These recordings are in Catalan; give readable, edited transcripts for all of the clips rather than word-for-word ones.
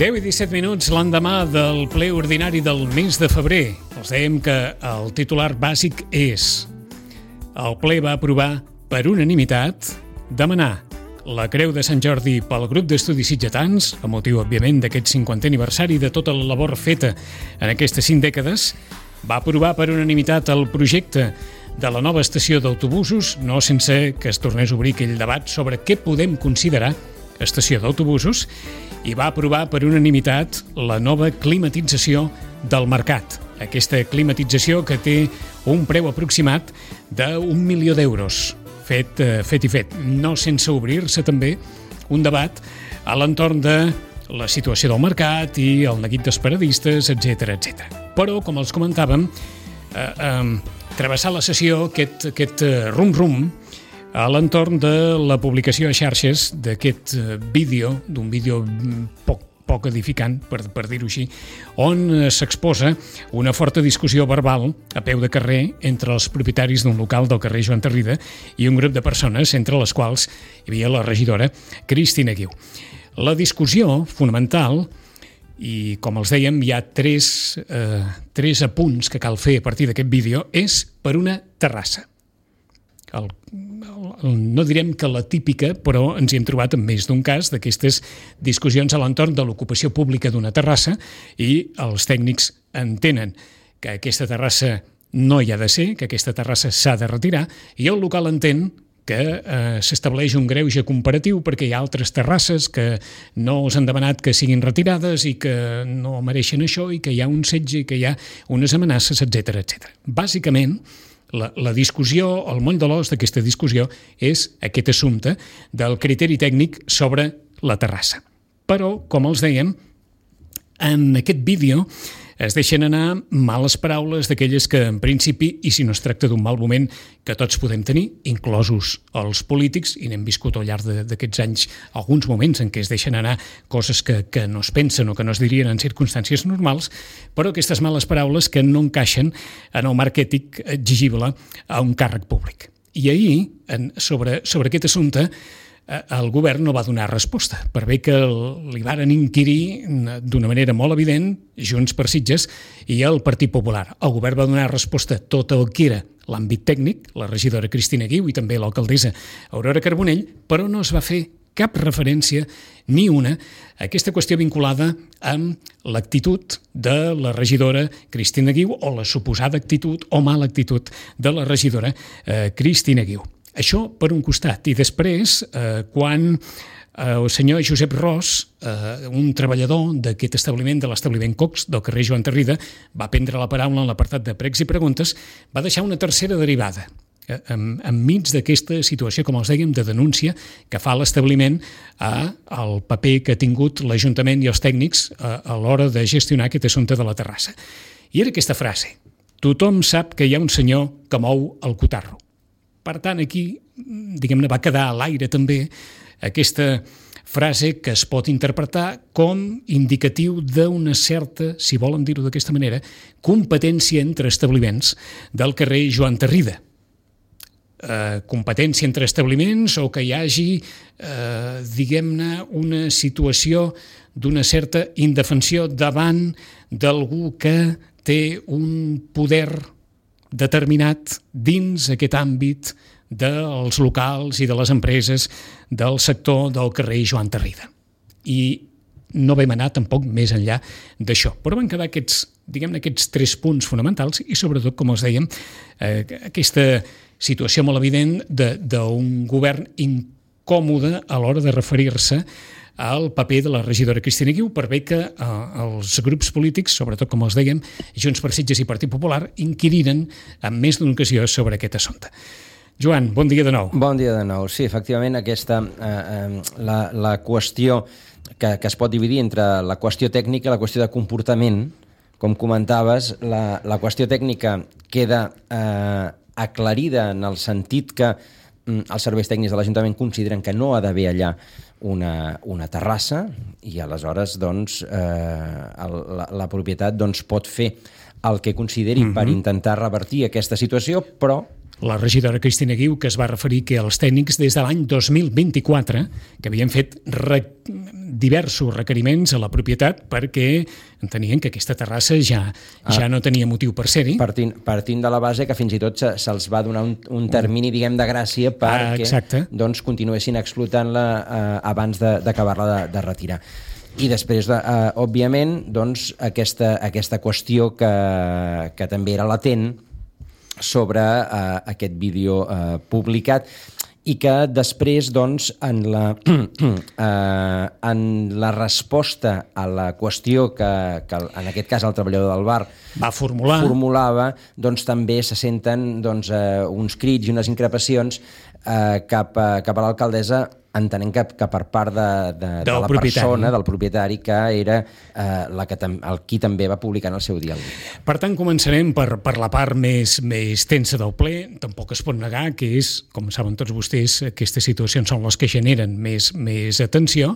10 i 17 minuts l'endemà del ple ordinari del mes de febrer. Els dèiem que el titular bàsic és: el ple va aprovar per unanimitat demanar la Creu de Sant Jordi pel grup d'estudis sitgetans, a motiu, òbviament, d'aquest 50è aniversari de tota la labor feta en aquestes 5 dècades. Va aprovar per unanimitat el projecte de la nova estació d'autobusos, no sense que es tornés a obrir aquell debat sobre què podem considerar estació d'autobusos, i va aprovar per unanimitat la nova climatització del mercat. Aquesta climatització que té un preu aproximat d'1 milió d'euros. Fet, no sense obrir-se també un debat a l'entorn de la situació del mercat i el neguit dels paradistes, etc. Però, com els comentàvem, travessar la sessió, aquest rum-rum, a l'entorn de la publicació a xarxes d'aquest vídeo, d'un vídeo poc edificant, per dir-ho així, on s'exposa una forta discussió verbal a peu de carrer entre els propietaris d'un local del carrer Joan Tarrida i un grup de persones, entre les quals hi havia la regidora Cristina Guiu. La discussió fonamental, i com els dèiem, hi ha tres apunts que cal fer a partir d'aquest vídeo, és per una terrassa. No direm que la típica, però ens hi hem trobat en més d'un cas d'aquestes discussions a l'entorn de l'ocupació pública d'una terrassa, i els tècnics entenen que aquesta terrassa no hi ha de ser, que aquesta terrassa s'ha de retirar, i el local entén que s'estableix un greuge comparatiu perquè hi ha altres terrasses que no us han demanat que siguin retirades i que no mereixen això, i que hi ha un setge i que hi ha unes amenaces, etc. Bàsicament, la discussió, el moll de l'os d'aquesta discussió és aquest assumpte del criteri tècnic sobre la terrassa. Però, com els dèiem, en aquest vídeo es deixen anar males paraules d'aquelles que, en principi, i si no es tracta d'un mal moment que tots podem tenir, inclosos els polítics, i n'hem viscut al llarg d'aquests anys alguns moments en què es deixen anar coses que no es pensen o que no es dirien en circumstàncies normals, però aquestes males paraules que no encaixen en el marc ètic exigible a un càrrec públic. I ahir, sobre aquest assumpte, el govern no va donar resposta, per bé que li varen inquirir d'una manera molt evident Junts per Sitges i el Partit Popular. El govern va donar resposta a tot el que era l'àmbit tècnic, la regidora Cristina Guiu i també l'alcaldessa Aurora Carbonell, però no es va fer cap referència, ni una, a aquesta qüestió vinculada amb l'actitud de la regidora Cristina Guiu o la suposada actitud o mala actitud de la regidora Cristina Guiu. Això per un costat. I després, quan el senyor Josep Ros, un treballador d'aquest establiment, de l'establiment Cox, del carrer Joan Tarrida, va prendre la paraula en l'apartat de pregs i preguntes, va deixar una tercera derivada enmig d'aquesta situació, com els dèiem, de denúncia que fa l'establiment al paper que ha tingut l'Ajuntament i els tècnics a l'hora de gestionar aquest assumpte de la terrassa. I era aquesta frase: tothom sap que hi ha un senyor que mou el cotarro. Per tant, aquí, diguem-ne, va quedar a l'aire també aquesta frase que es pot interpretar com indicatiu d'una certa, si volen dir-ho d'aquesta manera, competència entre establiments del carrer Joan Tarrida. Competència entre establiments o que hi hagi, diguem-ne, una situació d'una certa indefensió davant d'algú que té un poder determinat dins aquest àmbit dels locals i de les empreses del sector del carrer Joan Tarrida. I no vam anar tampoc més enllà d'això. Però van quedar aquests 3 punts fonamentals i, sobretot, com els dèiem, aquesta situació molt evident d'un govern incòmode a l'hora de referir-se al paper de la regidora Cristina Guiu, per bé que els grups polítics, sobretot, com els dèiem, Junts per Sitges i Partit Popular, inquiriren en més d'una ocasió sobre aquest assumpte. Joan, bon dia de nou. Bon dia de nou. Sí, efectivament, aquesta, la qüestió que es pot dividir entre la qüestió tècnica i la qüestió de comportament, com comentaves, la qüestió tècnica queda aclarida en el sentit que els serveis tècnics de l'Ajuntament consideren que no ha d'haver allà una terrassa, i aleshores doncs, la propietat pot fer el que consideri per intentar revertir aquesta situació, però la regidora Cristina Guiu, que es va referir que els tècnics des de l'any 2024, que havien fet diversos requeriments a la propietat perquè entenien que aquesta terrassa ja no tenia motiu per ser-hi. Partint de la base que fins i tot se'ls va donar un termini, diguem, de gràcia perquè doncs, continuessin explotant-la abans d'acabar-la de retirar. I després, òbviament, doncs, aquesta qüestió que també era latent sobre aquest vídeo publicat i que després, doncs, en la resposta a la qüestió que en aquest cas el treballador del bar formulava, doncs també se senten uns crits i unes increpacions cap a l'alcaldessa, entenent que per part de la persona, del propietari, que era qui també va publicar en el seu dia. Per tant, començarem per la part més tensa del ple. Tampoc es pot negar que és, com saben tots vostès, aquestes situacions són les que generen més atenció.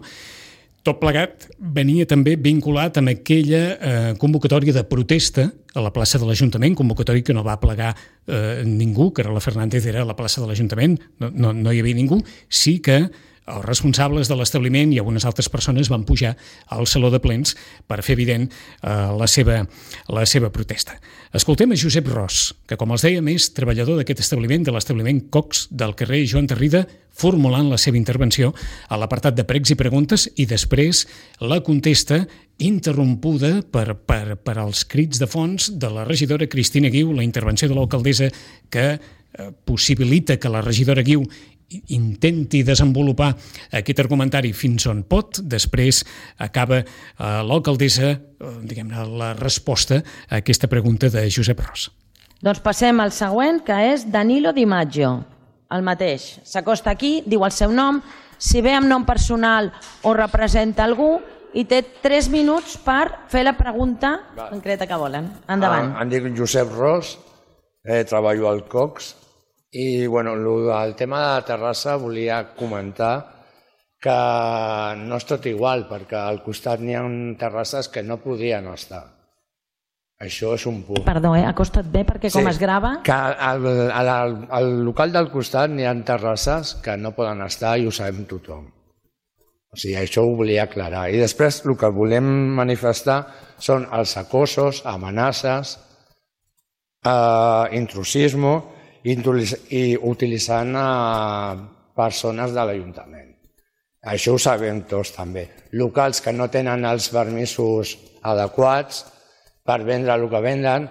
Tot plegat venia també vinculat amb aquella convocatòria de protesta a la plaça de l'Ajuntament, convocatòria que no va plegar ningú, que la Fernández era a la plaça de l'Ajuntament, no hi havia ningú, sí que els responsables de l'establiment i algunes altres persones van pujar al Saló de Plens per fer evident la seva protesta. Escoltem a Josep Ros, que, com els dèiem, és treballador d'aquest establiment, de l'establiment Cox del carrer Joan Tarrida, formulant la seva intervenció a l'apartat de pregs i preguntes i després la contesta interrompuda per als crits de fons de la regidora Cristina Guiu, la intervenció de l'alcaldessa que possibilita que la regidora Guiu intenti desenvolupar aquest argumentari fins on pot. Després acaba l'alcaldessa, diguem-ne, la resposta a aquesta pregunta de Josep Ros. Doncs passem al següent, que és Danilo Di Maggio, el mateix. S'acosta aquí, diu el seu nom, si ve amb nom personal o representa algú, i té 3 minuts per fer la pregunta concreta que volen. Endavant. Em dic Josep Ros, treballo al Cox, i el tema de la terrassa volia comentar que no és tot igual, perquè al costat n'hi ha terrasses que no podien estar. Això és un punt. Perdó, acosta't bé, perquè com es grava... Que al local del costat n'hi ha terrasses que no poden estar i ho sabem tothom. O sigui, això ho volia aclarar. I després el que volem manifestar són els acosos, amenaces, intrusisme i utilitzant persones de l'Ajuntament. Això ho sabem tots també. Locals que no tenen els permisos adequats per vendre el que venden,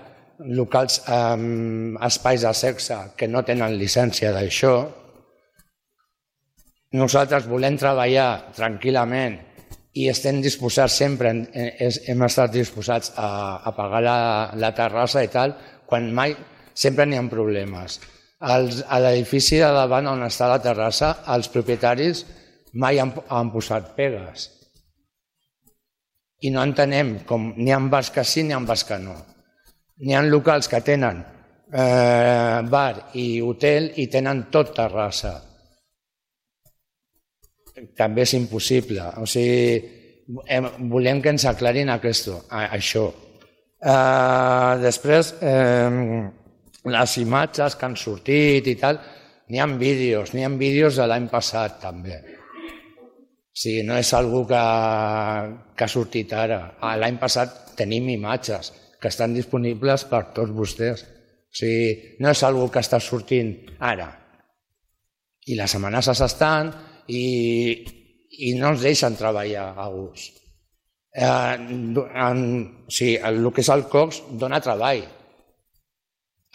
locals espais de sexe que no tenen llicència d'això. Nosaltres volem treballar tranquil·lament i estem disposats sempre, hem estat disposats a pagar la terrassa i tal, quan mai sempre n'hi ha problemes. A l'edifici de davant on està la terrassa, els propietaris mai han posat pegues. I no entenem com n'hi ha bars que sí, n'hi ha bars que no. N'hi ha locals que tenen bar i hotel i tenen tot terrassa. També és impossible. O sigui, volem que ens aclarin això. Després, les imatges que han sortit i tal, n'hi ha vídeos de l'any passat també. O sigui, no és algú que ha sortit ara. L'any passat tenim imatges que estan disponibles per tots vostès. O sigui, no és algú que està sortint ara. I les amenaces estan i no ens deixen treballar a gust. O sigui, el que és el Cox dona treball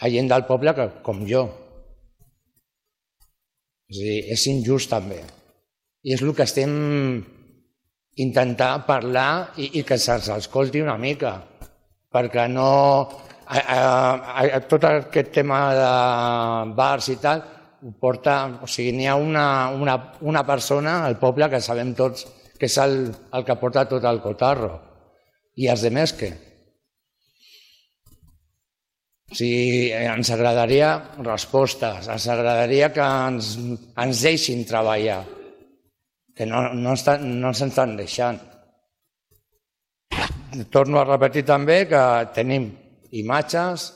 a gent del poble com jo. És injust també. I és el que estem intentant parlar i que se'ns escolti una mica, perquè no... Tot aquest tema de bars i tal, ho porta... O sigui, n'hi ha una persona al poble que sabem tots que és el que porta tot el cotarro. I els altres què? O sigui, ens agradaria respostes, ens agradaria que ens deixin treballar, que no ens estan deixant. Torno a repetir també que tenim imatges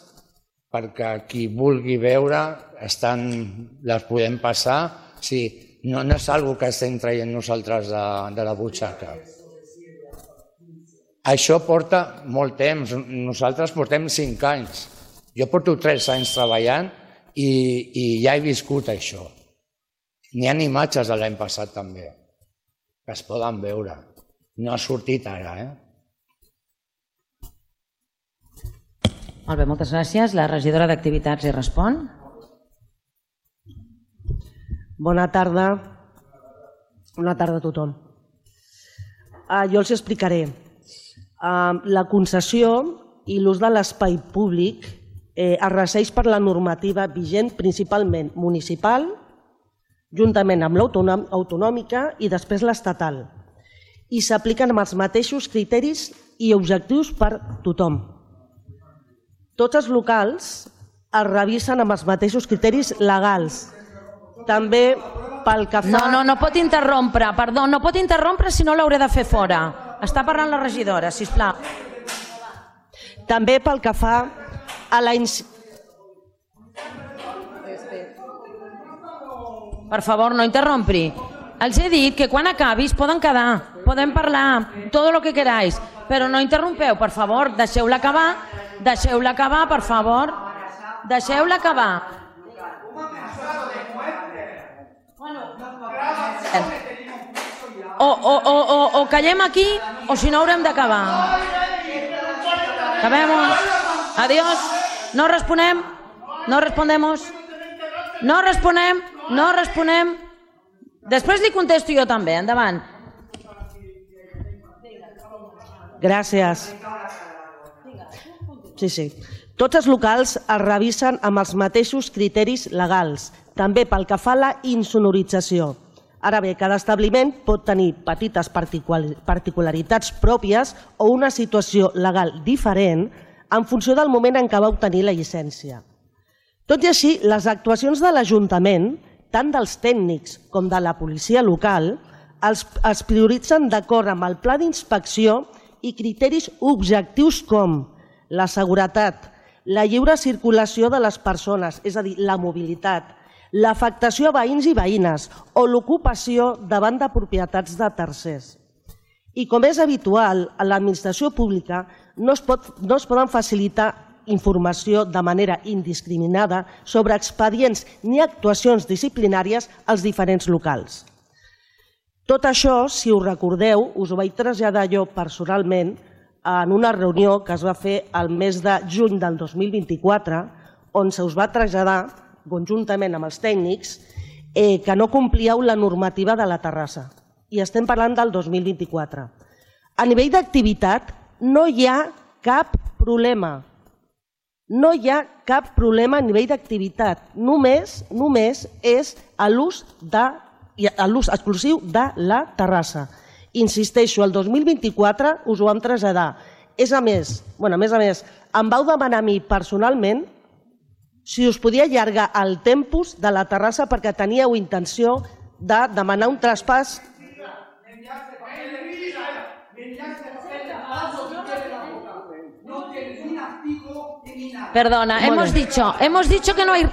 perquè qui vulgui veure les podem passar. Sí, No és algo que estem traient nosaltres de la butxaca. Això porta molt temps. Nosaltres portem 5 anys. Jo porto 3 anys treballant i ja he viscut això. N'hi ha imatges de l'any passat també, que es poden veure. No ha sortit ara, Molt bé, moltes gràcies. La regidora d'Activitats hi respon. Bona tarda. Bona tarda a tothom. Jo els explicaré. La concessió i l'ús de l'espai públic es regeix per la normativa vigent principalment municipal, juntament amb l'autonòmica i després l'estatal. I s'apliquen amb els mateixos criteris i objectius per tothom. Tots els locals es revisen amb els mateixos criteris legals. També pel que fa... No pot interrompre, perdó, no pot interrompre si no l'hauré de fer fora. Està parlant la regidora, sisplau. També pel que fa a la... Per favor, no interrompri. Els he dit que quan acabis poden quedar, podem parlar, tot el que queráis, però no interrompeu, per favor, deixeu-la acabar, per favor. Deixeu-la acabar. O callem aquí o si no haurem d'acabar. Acabemos. Adiós. No responem. No respondemos. No responem. Després li contesto jo també. Endavant. Gràcies. Sí. Tots els locals es revisen amb els mateixos criteris legals, també pel que fa a la insonorització. Ara bé, cada establiment pot tenir petites particularitats pròpies o una situació legal diferent en funció del moment en què va obtenir la llicència. Tot i així, les actuacions de l'Ajuntament, tant dels tècnics com de la policia local, es prioritzen d'acord amb el pla d'inspecció i criteris objectius com la seguretat, la lliure circulació de les persones, és a dir, la mobilitat, l'afectació a veïns i veïnes o l'ocupació davant de propietats de tercers. I com és habitual, a l'administració pública no es poden facilitar informació de manera indiscriminada sobre expedients ni actuacions disciplinàries als diferents locals. Tot això, si us recordeu, us ho vaig traslladar jo personalment en una reunió que es va fer el mes de juny del 2024, on se us va traslladar, conjuntament amb els tècnics, que no complíeu la normativa de la terrassa. I estem parlant del 2024. A nivell d'activitat no hi ha cap problema. No hi ha cap problema a nivell d'activitat. Només és l'ús exclusiu de la terrassa. Insisteixo, el 2024 us ho vam traslladar. A més, em vau demanar a mi personalment si us podia allargar el tempus de la terrassa perquè teníeu intenció de demanar un traspàs. Perdona, hemos dicho que no hay...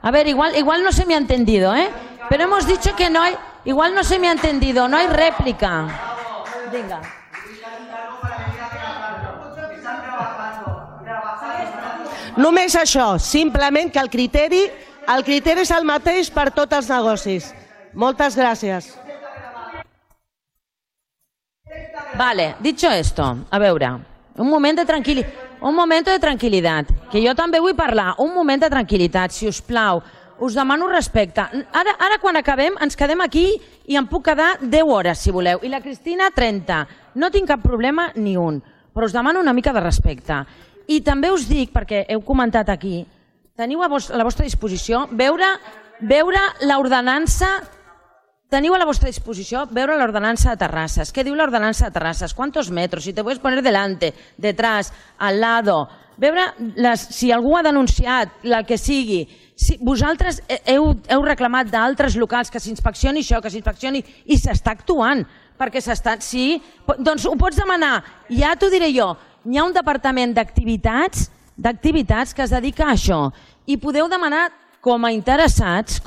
A ver, igual no se me ha entendido, pero hemos dicho que no hay... Igual no se me ha entendido, no hay réplica. Venga. Només això, simplement que el criteri és el mateix per tots els negocis. Moltes gràcies. Vale, dicho esto, a veure, un moment de tranquil·litat, que jo també vull parlar, un moment de tranquil·litat, si us plau. Us demano respecte. Ara quan acabem ens quedem aquí i em puc quedar 10 hores, si voleu. I la Cristina, 30. No tinc cap problema ni un, però us demano una mica de respecte. I també us dic, perquè heu comentat aquí, teniu a la vostra disposició veure l'ordenança. Teniu a la vostra disposició veure l'ordenança de terrasses. Què diu l'ordenança de terrasses? ¿Cuántos metros? Si te puedes poner delante, detrás, al lado. Veure si algú ha denunciat, la que sigui. Si vosaltres heu reclamat d'altres locals que s'inspeccioni això, que s'inspeccioni, i s'està actuant, perquè s'està... Sí, doncs ho pots demanar, ja t'ho diré jo. Hi ha un departament d'activitats que es dedica a això, i podeu demanar com a interessats,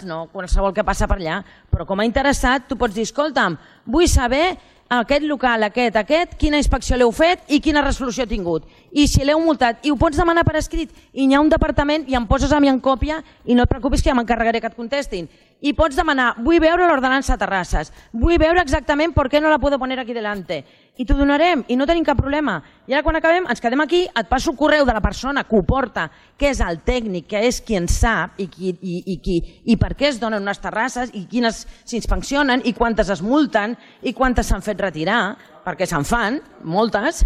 no qualsevol que passa per allà, però com a interessat tu pots dir, escolta'm, vull saber aquest local, aquest, quina inspecció l'heu fet i quina resolució ha tingut. I si l'heu multat, i ho pots demanar per escrit, i hi ha un departament i em poses a mi en còpia i no et preocupis que ja m'encarregaré que et contestin. I pots demanar, vull veure l'ordenança de terrasses, vull veure exactament per què no la puedo poner aquí delante. I t'ho donarem i no tenim cap problema. I ara quan acabem ens quedem aquí, et passo el correu de la persona que ho porta, que és el tècnic, que és qui en sap i per què es donen unes terrasses i quines s'inspeccionen i quantes es multen i quantes s'han fet retirar, perquè se'n fan, moltes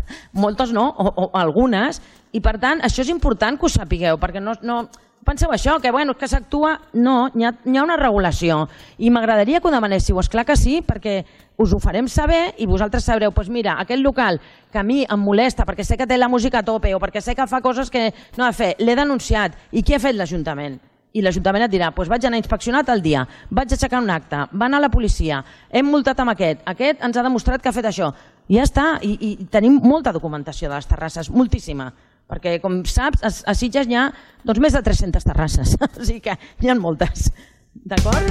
no, o algunes, i per tant això és important que ho sapigueu, perquè no penseu això, que que s'actua, no, hi ha una regulació i m'agradaria que ho demanéssiu, esclar que sí, perquè us ho farem saber i vosaltres sabreu, doncs mira, aquest local que a mi em molesta perquè sé que té la música a tope o perquè sé que fa coses que no ha de fer, l'he denunciat, i què ha fet l'Ajuntament? I l'Ajuntament et dirà, doncs vaig anar a inspeccionar tal dia, vaig aixecar un acte, va anar a la policia, hem multat amb aquest ens ha demostrat que ha fet això. I ja està, i tenim molta documentació de les terrasses, moltíssima, perquè com saps, a Sitges hi ha més de 300 terrasses, o sigui que n'hi ha moltes. D'acord?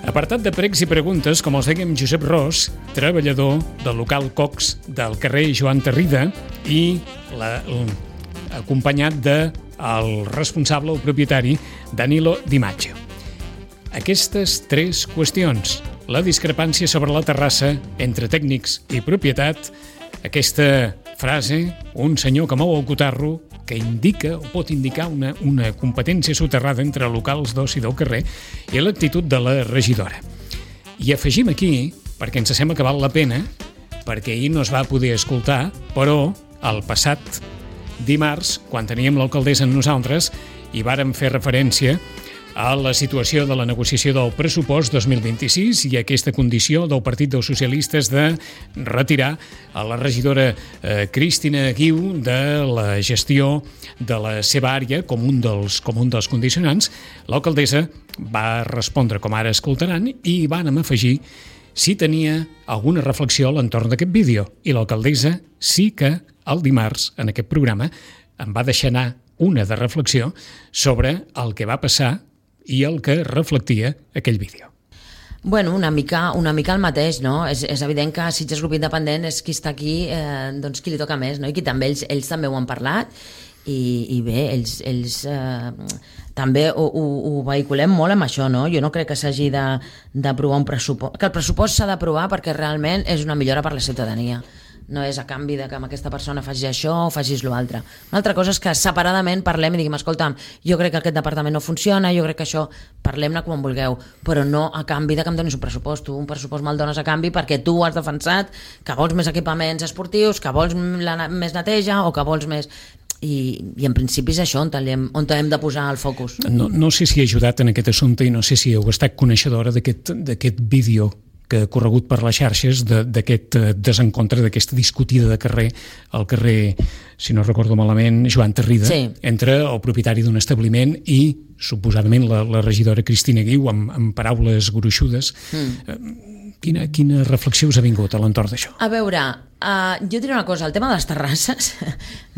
Apartat de pregs i preguntes, com els deia Josep Ros, treballador del local Cox del carrer Joan Tarrida i acompanyat del responsable o propietari Danilo Di Maggio. Aquestes tres qüestions, la discrepància sobre la terrassa entre tècnics i propietat, aquesta frase, un senyor que mou el cotarro, que indica o pot indicar una competència soterrada entre locals d'oci del carrer i l'actitud de la regidora. I afegim aquí, perquè ens sembla que val la pena, perquè ahir no es va poder escoltar, però el passat dimarts, quan teníem l'alcaldessa amb nosaltres, hi vàrem fer referència a la situació de la negociació del pressupost 2026 i aquesta condició del Partit dels Socialistes de retirar a la regidora Cristina Guiu de la gestió de la seva àrea com un dels condicionants. L'alcaldessa va respondre, com ara escoltaran, i vàrem afegir si tenia alguna reflexió a l'entorn d'aquest vídeo. I l'alcaldessa sí que el dimarts, en aquest programa, em va deixar anar una de reflexió sobre el que va passar i el que reflectia aquell vídeo. Bueno, una mica el mateix, no? És evident que Sitges Grup Independent és qui està aquí, doncs qui li toca més, no? I qui també, ells també ho han parlat i bé, ells també ho vehiculem molt amb això, no? Jo no crec que s'hagi d'aprovar un pressupost, que el pressupost s'ha d'aprovar perquè realment és una millora per la ciutadania. No és a canvi de que amb aquesta persona facis això o facis l'altre. Una altra cosa és que separadament parlem i diguem, escolta'm, jo crec que aquest departament no funciona, jo crec que això, parlem-ne quan vulgueu, però no a canvi de que em donis un pressupost. Tu un pressupost me'l dones a canvi perquè tu has defensat que vols més equipaments esportius, que vols més neteja o que vols més... I en principi és això on hem de posar el focus. No sé si he ajudat en aquest assumpte i no sé si heu estat coneixedora d'aquest vídeo que ha corregut per les xarxes d'aquest desencontre, d'aquesta discutida de carrer, al carrer, si no recordo malament, Joan Tarrida, sí, entre el propietari d'un establiment i, suposadament, la regidora Cristina Guiu, amb paraules gruixudes. Quina reflexió us ha vingut a l'entorn d'això? A veure, jo diré una cosa, el tema de les terrasses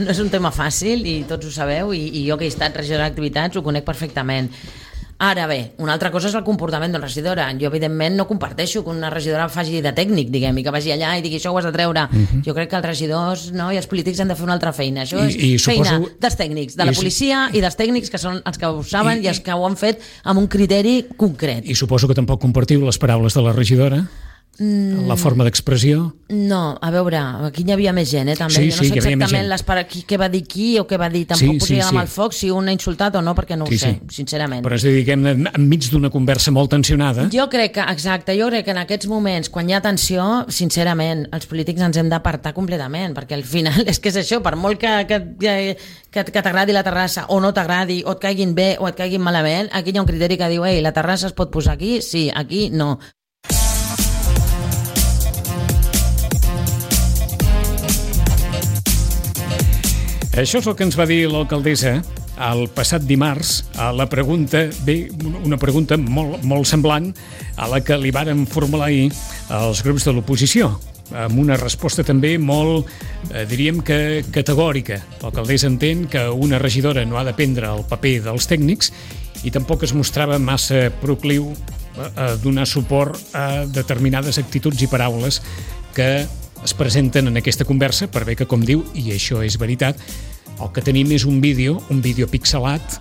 no és un tema fàcil i tots ho sabeu i jo que he estat regidora d'activitats ho conec perfectament. Ara bé, una altra cosa és el comportament d'una regidora. Jo, evidentment, no comparteixo que una regidora faci de tècnic, diguem, i que vagi allà i digui això ho has de treure. Jo crec que els regidors i els polítics han de fer una altra feina. Això és feina dels tècnics, de la policia i dels tècnics que són els que ho saben i els que ho han fet amb un criteri concret. I suposo que tampoc compartiu les paraules de la regidora? La forma d'expressió? No, a veure, aquí hi havia més gent, també. Jo no sé exactament què va dir qui o què va dir. Tampoc posaria amb el foc si un ha insultat o no, perquè no ho sé, sincerament. Però és a dir, enmig d'una conversa molt tensionada. Jo crec que en aquests moments, quan hi ha tensió, sincerament, els polítics ens hem d'apartar completament, perquè al final és que és això, per molt que t'agradi la terrassa o no t'agradi, o et caiguin bé o et caiguin malament, aquí hi ha un criteri que diu, la terrassa es pot posar aquí? Sí, aquí no. Això és el que ens va dir l'alcaldessa el passat dimarts a la pregunta, una pregunta molt semblant a la que li varen formular ahir els grups de l'oposició. amb una resposta també molt, diríem que categòrica. L'alcaldessa entén que una regidora no ha de prendre el paper dels tècnics i tampoc es mostrava massa procliu a donar suport a determinades actituds i paraules que es presenten en aquesta conversa, per bé que, com diu, i això és veritat, el que tenim és un vídeo pixelat,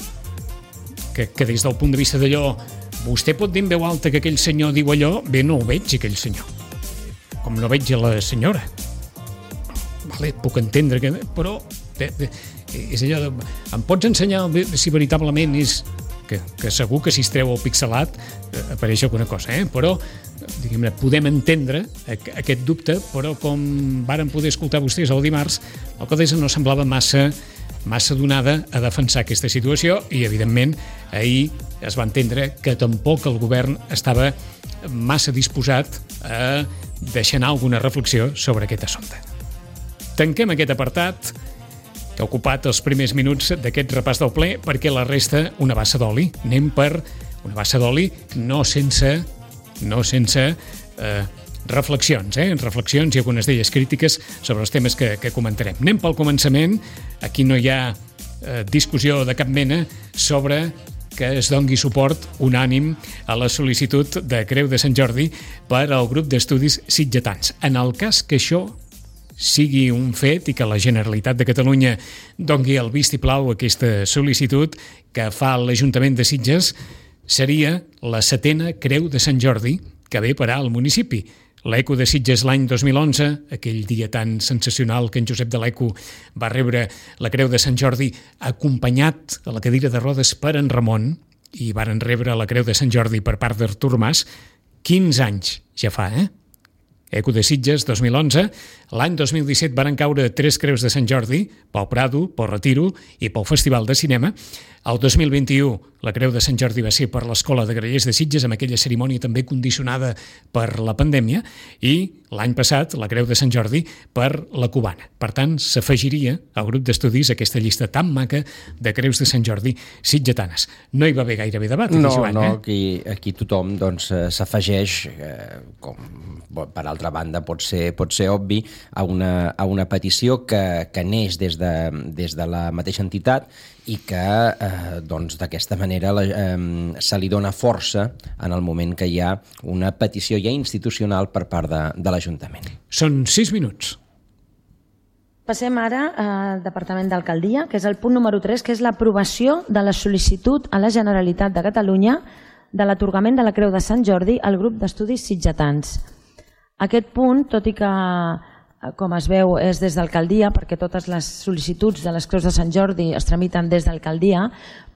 que des del punt de vista d'allò, vostè pot dir en veu alta que aquell senyor diu allò, bé, no ho veig, aquell senyor. Com no veig a la senyora. Vale, puc entendre que... Però és allò de... Em pots ensenyar si veritablement és... Que segur que si es treu el pixelat apareix alguna cosa, però diguem-ne, podem entendre aquest dubte, però com varen poder escoltar vostès el dimarts, l'alcaldessa no semblava massa donada a defensar aquesta situació i, evidentment, ahir es va entendre que tampoc el govern estava massa disposat a deixar anar alguna reflexió sobre aquest assumpte. Tanquem aquest apartat que ha ocupat els primers minuts d'aquest repàs del ple, perquè la resta, una bassa d'oli. Anem per una bassa d'oli no sense reflexions, reflexions i algunes d'elles crítiques sobre els temes que comentarem. Anem pel començament. Aquí no hi ha discussió de cap mena sobre que es dongui suport unànim a la sol·licitud de Creu de Sant Jordi per al grup d'estudis sitgetans. En el cas que això sigui un fet i que la Generalitat de Catalunya dongui el vistiplau a aquesta sol·licitud que fa l'Ajuntament de Sitges, seria la 7a Creu de Sant Jordi que ve parar al municipi. L'Eco de Sitges l'any 2011, aquell dia tan sensacional que en Josep de l'Eco va rebre la Creu de Sant Jordi acompanyat a la cadira de rodes per en Ramon, i varen rebre la Creu de Sant Jordi per part d'Artur Mas. 15 anys ja fa, Eco de Sitges, 2011. L'any 2017 varen caure 3 creus de Sant Jordi, pel Prado, pel Retiro i pel Festival de Cinema. El 2021 la Creu de Sant Jordi va ser per l'Escola de Grallers de Sitges, amb aquella cerimònia també condicionada per la pandèmia, i l'any passat la Creu de Sant Jordi per la Cubana. Per tant, s'afegiria al grup d'estudis aquesta llista tan maca de Creus de Sant Jordi sitgetanes. No hi va haver gairebé debat, Joan. Aquí tothom s'afegeix, com per altra banda pot ser obvi, a una petició que neix des de la mateixa entitat i que d'aquesta manera se li dona força en el moment que hi ha una petició ja institucional per part de l'Ajuntament. Són 6 minuts. Passem ara al Departament d'Alcaldia, que és el punt número 3, que és l'aprovació de la sol·licitud a la Generalitat de Catalunya de l'atorgament de la Creu de Sant Jordi al grup d'estudis sitgetans. Aquest punt, tot i que, com es veu, és des d'Alcaldia, perquè totes les sol·licituds de les Creus de Sant Jordi es tramiten des d'Alcaldia,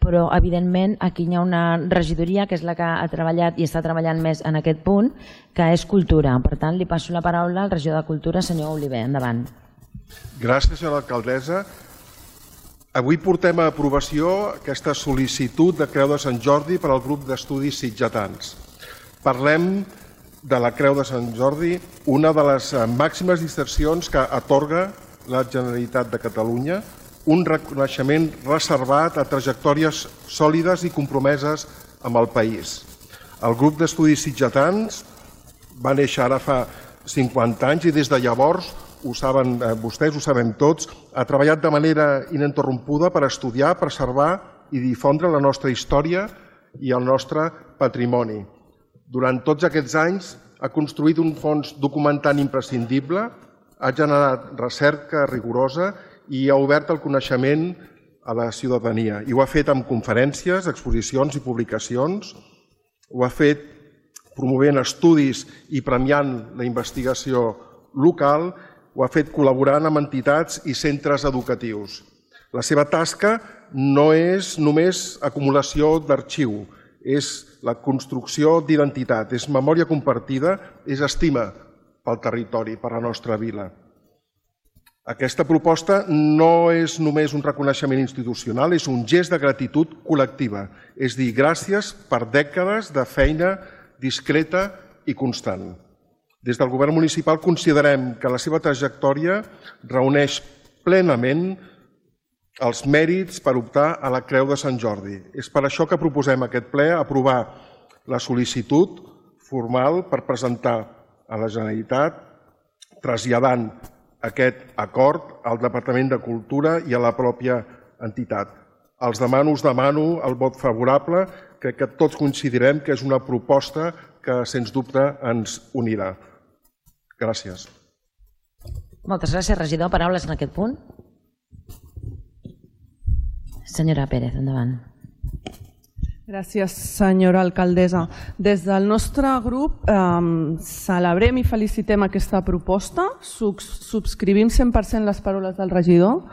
però, evidentment, aquí hi ha una regidoria que és la que ha treballat i està treballant més en aquest punt, que és Cultura. Per tant, li passo la paraula al regidor de Cultura, senyor Oliver. Endavant. Gràcies, senyora alcaldessa. Avui portem a aprovació aquesta sol·licitud de Creu de Sant Jordi per al grup d'estudis sitgetans. Parlem de la Creu de Sant Jordi, una de les màximes distincions que atorga la Generalitat de Catalunya, un reconeixement reservat a trajectòries sòlides i compromeses amb el país. El grup d'estudis sitgetans va néixer ara fa 50 anys i des de llavors, ho saben vostès, ho sabem tots, ha treballat de manera ininterrompuda per estudiar, preservar i difondre la nostra història i el nostre patrimoni. Durant tots aquests anys ha construït un fons documentant imprescindible, ha generat recerca rigorosa i ha obert el coneixement a la ciutadania. I ho ha fet amb conferències, exposicions i publicacions, ho ha fet promovent estudis i premiant la investigació local, ho ha fet col·laborant amb entitats i centres educatius. La seva tasca no és només acumulació d'arxiu, és la construcció d'identitat, és memòria compartida, és estima pel territori, per la nostra vila. Aquesta proposta no és només un reconeixement institucional, és un gest de gratitud col·lectiva. És dir, gràcies per dècades de feina discreta i constant. Des del govern municipal considerem que la seva trajectòria reuneix plenament els mèrits per optar a la Creu de Sant Jordi. És per això que proposem a aquest ple aprovar la sol·licitud formal per presentar a la Generalitat traslladant aquest acord al Departament de Cultura i a la pròpia entitat. Us demano el vot favorable. Crec que tots coincidirem que és una proposta que, sens dubte, ens unirà. Gràcies. Moltes gràcies, regidor. Paraules en aquest punt? Senyora Pérez, endavant. Gràcies, senyora alcaldessa. Des del nostre grup celebrem i felicitem aquesta proposta, subscrivim 100% les paraules del regidor.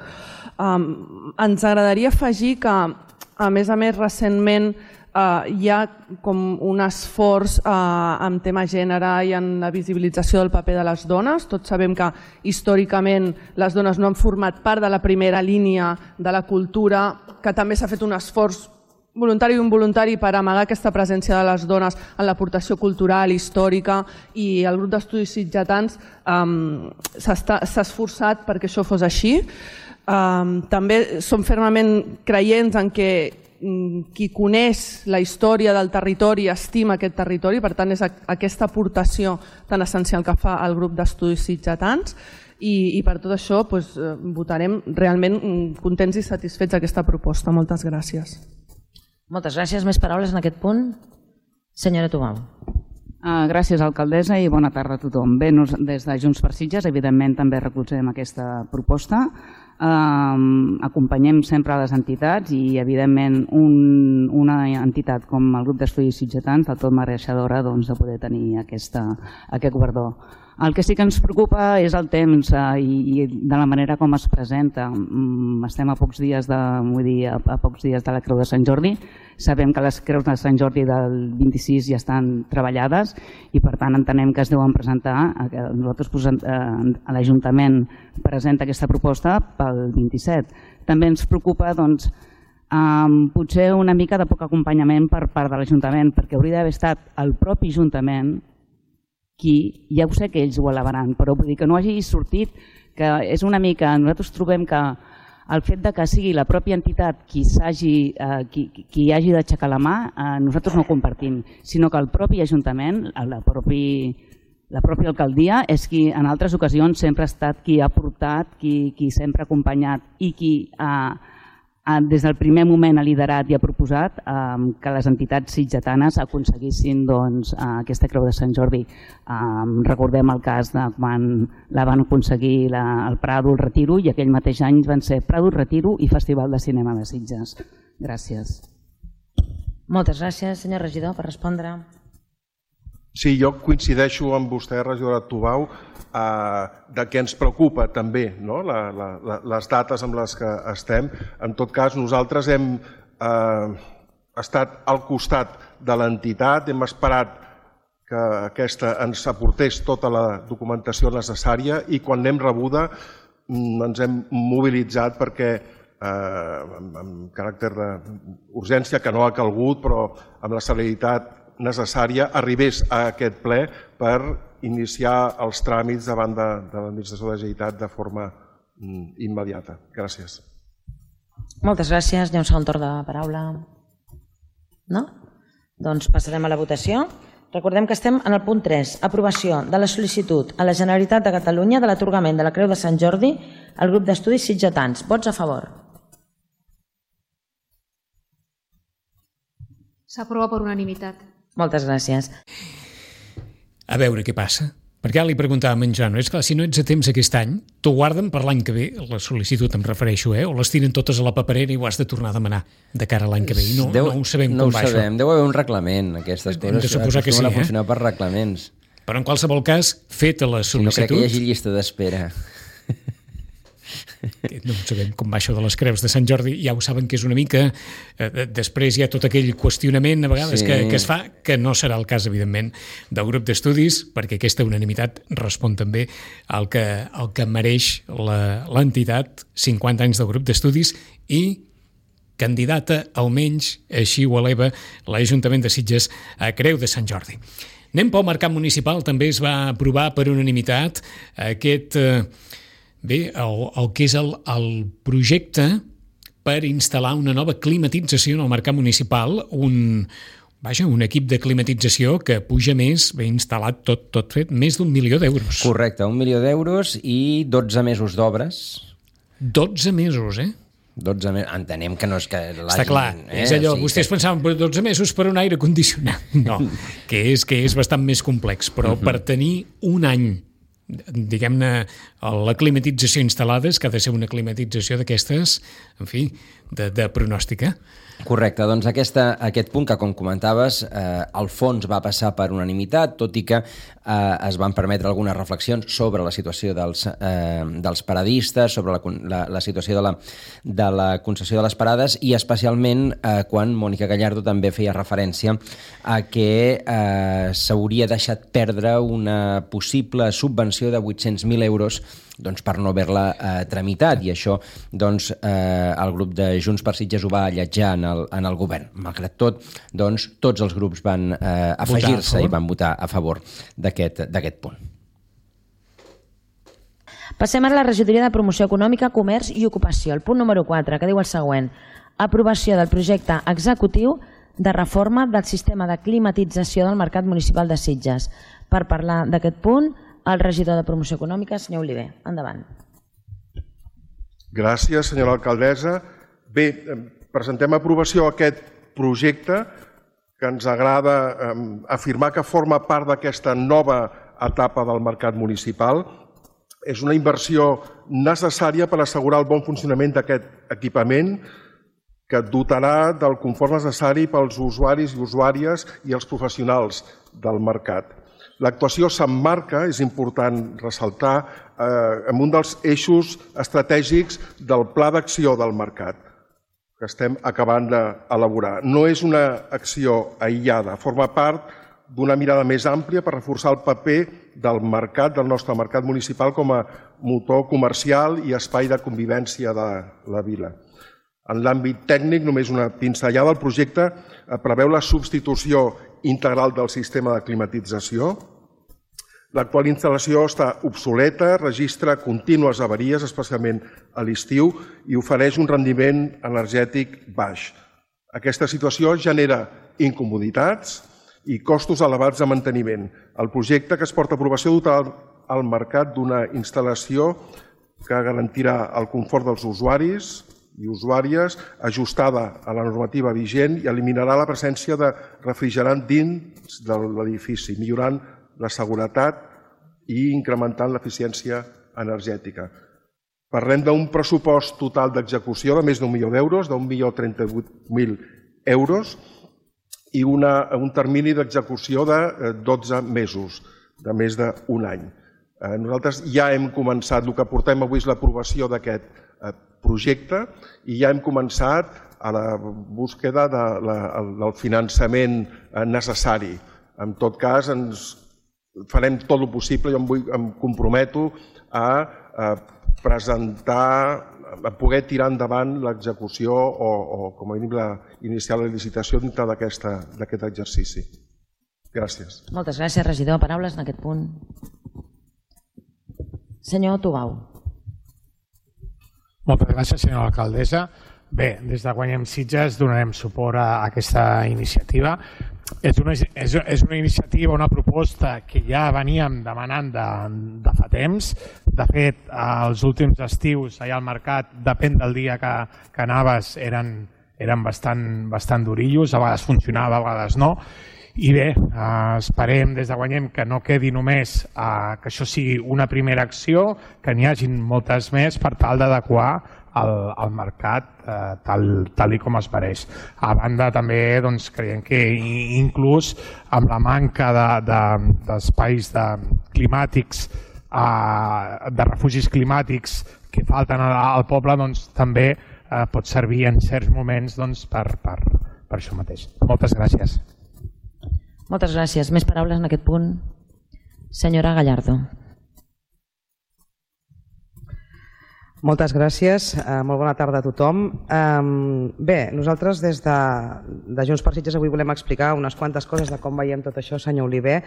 Ens agradaria afegir que, a més, recentment hi ha com un esforç en tema gènere i en la visibilització del paper de les dones. Tots sabem que històricament les dones no han format part de la primera línia de la cultura, que també s'ha fet un esforç voluntari i involuntari per amagar aquesta presència de les dones en l'aportació cultural, històrica, i el grup d'estudis sitgetans s'ha esforçat perquè això fos així. També som fermament creients en que qui coneix la història del territori estima aquest territori, per tant és aquesta aportació tan essencial que fa el grup d'estudis sitgetans, i per tot això votarem realment contents i satisfets d'aquesta proposta. Moltes gràcies. Moltes gràcies. Més paraules en aquest punt? Senyora Tubau. Gràcies, alcaldessa, i bona tarda a tothom. Bé, des de Junts per Sitges, evidentment, també recolzem aquesta proposta. Acompanyem sempre les entitats i, evidentment, una entitat com el grup d'estudis sitgetans del tot mereixedora de poder tenir aquest guardó. El que sí que ens preocupa és el temps i de la manera com es presenta. Estem a pocs dies de la Creu de Sant Jordi. Sabem que les Creus de Sant Jordi del 26 ja estan treballades i, per tant, entenem que es deuen presentar. Nosaltres, l'Ajuntament presenta aquesta proposta pel 27. També ens preocupa, potser una mica de poc acompanyament per part de l'Ajuntament, perquè hauria d'haver estat el propi Ajuntament qui, ja ho sé que ells ho elevaran, però vull dir que no hagi sortit, que és una mica, nosaltres trobem que el fet que sigui la pròpia entitat qui hagi d'aixecar la mà, nosaltres no ho compartim, sinó que el propi Ajuntament, la pròpia alcaldia, és qui en altres ocasions sempre ha estat qui ha portat, qui sempre ha acompanyat i qui des del primer moment ha liderat i ha proposat que les entitats sitgetanes aconseguissin aquesta Creu de Sant Jordi. Recordem el cas de quan la van aconseguir el Prado, el Retiro, i aquell mateix any van ser Prado, Retiro i Festival de Cinema de Sitges. Gràcies. Moltes gràcies, senyor regidor, per respondre. Sí, jo coincideixo amb vostè, regidora Tubau, que ens preocupa també les dates amb les que estem. En tot cas, nosaltres hem estat al costat de l'entitat, hem esperat que aquesta ens aportés tota la documentació necessària i quan l'hem rebuda ens hem mobilitzat perquè, amb caràcter d'urgència, que no ha calgut, però amb la celeritat necessària, arribés a aquest ple per iniciar els tràmits davant de l'Administració de la Generalitat de forma immediata. Gràcies. Moltes gràcies. Hi ha un segon torn de paraula. No? Doncs passarem a la votació. Recordem que estem en el punt 3, aprovació de la sol·licitud a la Generalitat de Catalunya de l'atorgament de la Creu de Sant Jordi al grup d'estudis sitgetans. Vots a favor. S'aprova per unanimitat. Moltes gràcies. A veure què passa. Perquè ara li preguntàvem a en Joan, és clar, si no ets a temps aquest any, t'ho guarden per l'any que ve, la sol·licitud em refereixo, o les tiren totes a la paperera i ho has de tornar a demanar de cara a l'any que ve. I no ho sabem com va això. Deu haver un reglament, aquestes coses. Hem de suposar que sí, acostumen a funcionar per reglaments. Però en qualsevol cas, feta la sol·licitud... No crec que hi hagi llista d'espera. No sabem com va això de les creus de Sant Jordi, ja ho saben que és una mica... Després hi ha tot aquell qüestionament a vegades que es fa, que no serà el cas, evidentment, del grup d'estudis, perquè aquesta unanimitat respon també al que mereix l'entitat, 50 anys del grup d'estudis, i candidata, almenys, així ho eleva l'Ajuntament de Sitges a Creu de Sant Jordi. Anem pel mercat municipal, també es va aprovar per unanimitat aquest... Bé, el que és el projecte per instal·lar una nova climatització en el mercat municipal, vaja, un equip de climatització que puja més, ben instal·lat, tot fet, més d'1 milió d'euros. Correcte, 1 milió d'euros i 12 mesos d'obres. 12 mesos, 12 mesos, entenem que no és que està clar, és allò, vostès pensaven per 12 mesos per un aire condicionat. No, que és bastant més complex, però per tenir un any, diguem-ne, la climatització instal·lada, és que ha de ser una climatització d'aquestes, en fi, de pronòstica. Correcte, doncs aquest punt que, com comentaves, el fons va passar per unanimitat, tot i que es van permetre algunes reflexions sobre la situació dels paradistes, sobre la situació de la concessió de les parades i especialment quan Mònica Gallardo també feia referència a que s'hauria deixat perdre una possible subvenció de 800.000 euros per no haver-la tramitat, i això el grup de Junts per Sitges ho va alletjar en el govern. Malgrat tot, tots els grups van afegir-se i van votar a favor d'aquest punt. Passem a la regidoria de Promoció Econòmica, Comerç i Ocupació, el punt número 4, que diu el següent: aprovació del projecte executiu de reforma del sistema de climatització del Mercat Municipal de Sitges. Per parlar d'aquest punt, el regidor de Promoció Econòmica, senyor Oliver. Endavant. Gràcies, senyora alcaldessa. Bé, presentem a aprovació aquest projecte que ens agrada afirmar que forma part d'aquesta nova etapa del mercat municipal. És una inversió necessària per assegurar el bon funcionament d'aquest equipament que dotarà del confort necessari pels usuaris i usuàries i els professionals del mercat. L'actuació s'emmarca, és important ressaltar, en un dels eixos estratègics del Pla d'Acció del Mercat, que estem acabant d'elaborar. No és una acció aïllada, forma part d'una mirada més àmplia per reforçar el paper del mercat, del nostre mercat municipal, com a motor comercial i espai de convivència de la vila. En l'àmbit tècnic, només una pinzellada, el projecte preveu la substitució integral del sistema de climatització. L'actual instal·lació està obsoleta, registra contínues avaries, especialment a l'estiu, i ofereix un rendiment energètic baix. Aquesta situació genera incomoditats i costos elevats de manteniment. El projecte que es porta a aprovació dotarà el mercat d'una instal·lació que garantirà el confort dels usuaris i usuàries, ajustada a la normativa vigent, i eliminarà la presència de refrigerant dins de l'edifici, millorant la seguretat i incrementant l'eficiència energètica. Parlem d'un pressupost total d'execució de més d'1 milió d'euros, d'1.038.000 euros, i un termini d'execució de 12 mesos, de més d'un any. Nosaltres ja hem començat, el que portem avui és l'aprovació d'aquest projecte, i ja hem començat a la búsqueda del finançament necessari. En tot cas, farem tot el possible, jo em comprometo a presentar, a poder tirar endavant l'execució o, com a mínim, iniciar la licitació dintre d'aquest exercici. Gràcies. Moltes gràcies, regidor. Paraules en aquest punt. Senyor Tubau. Moltes gràcies, senyora alcaldessa. Bé, des de Guanyem Sitges donarem suport a aquesta iniciativa. És una iniciativa, una proposta que ja veníem demanant de fa temps. De fet, els últims estius allà al mercat, depèn del dia que anaves, eren bastant durillos, a vegades funcionava, a vegades no. I bé, esperem des de Guanyem que no quedi només que això sigui una primera acció, que n'hi hagin moltes més per tal d'adequar el mercat tal com es mereix. A banda també creiem que inclús amb la manca d'espais climàtics, de refugis climàtics que falten al poble, també pot servir en certs moments per això mateix. Moltes gràcies. Moltes gràcies. Més paraules en aquest punt? Senyora Gallardo. Moltes gràcies. Molt bona tarda a tothom. Bé, nosaltres des de Junts per Sitges avui volem explicar unes quantes coses de com veiem tot això, senyor Oliver.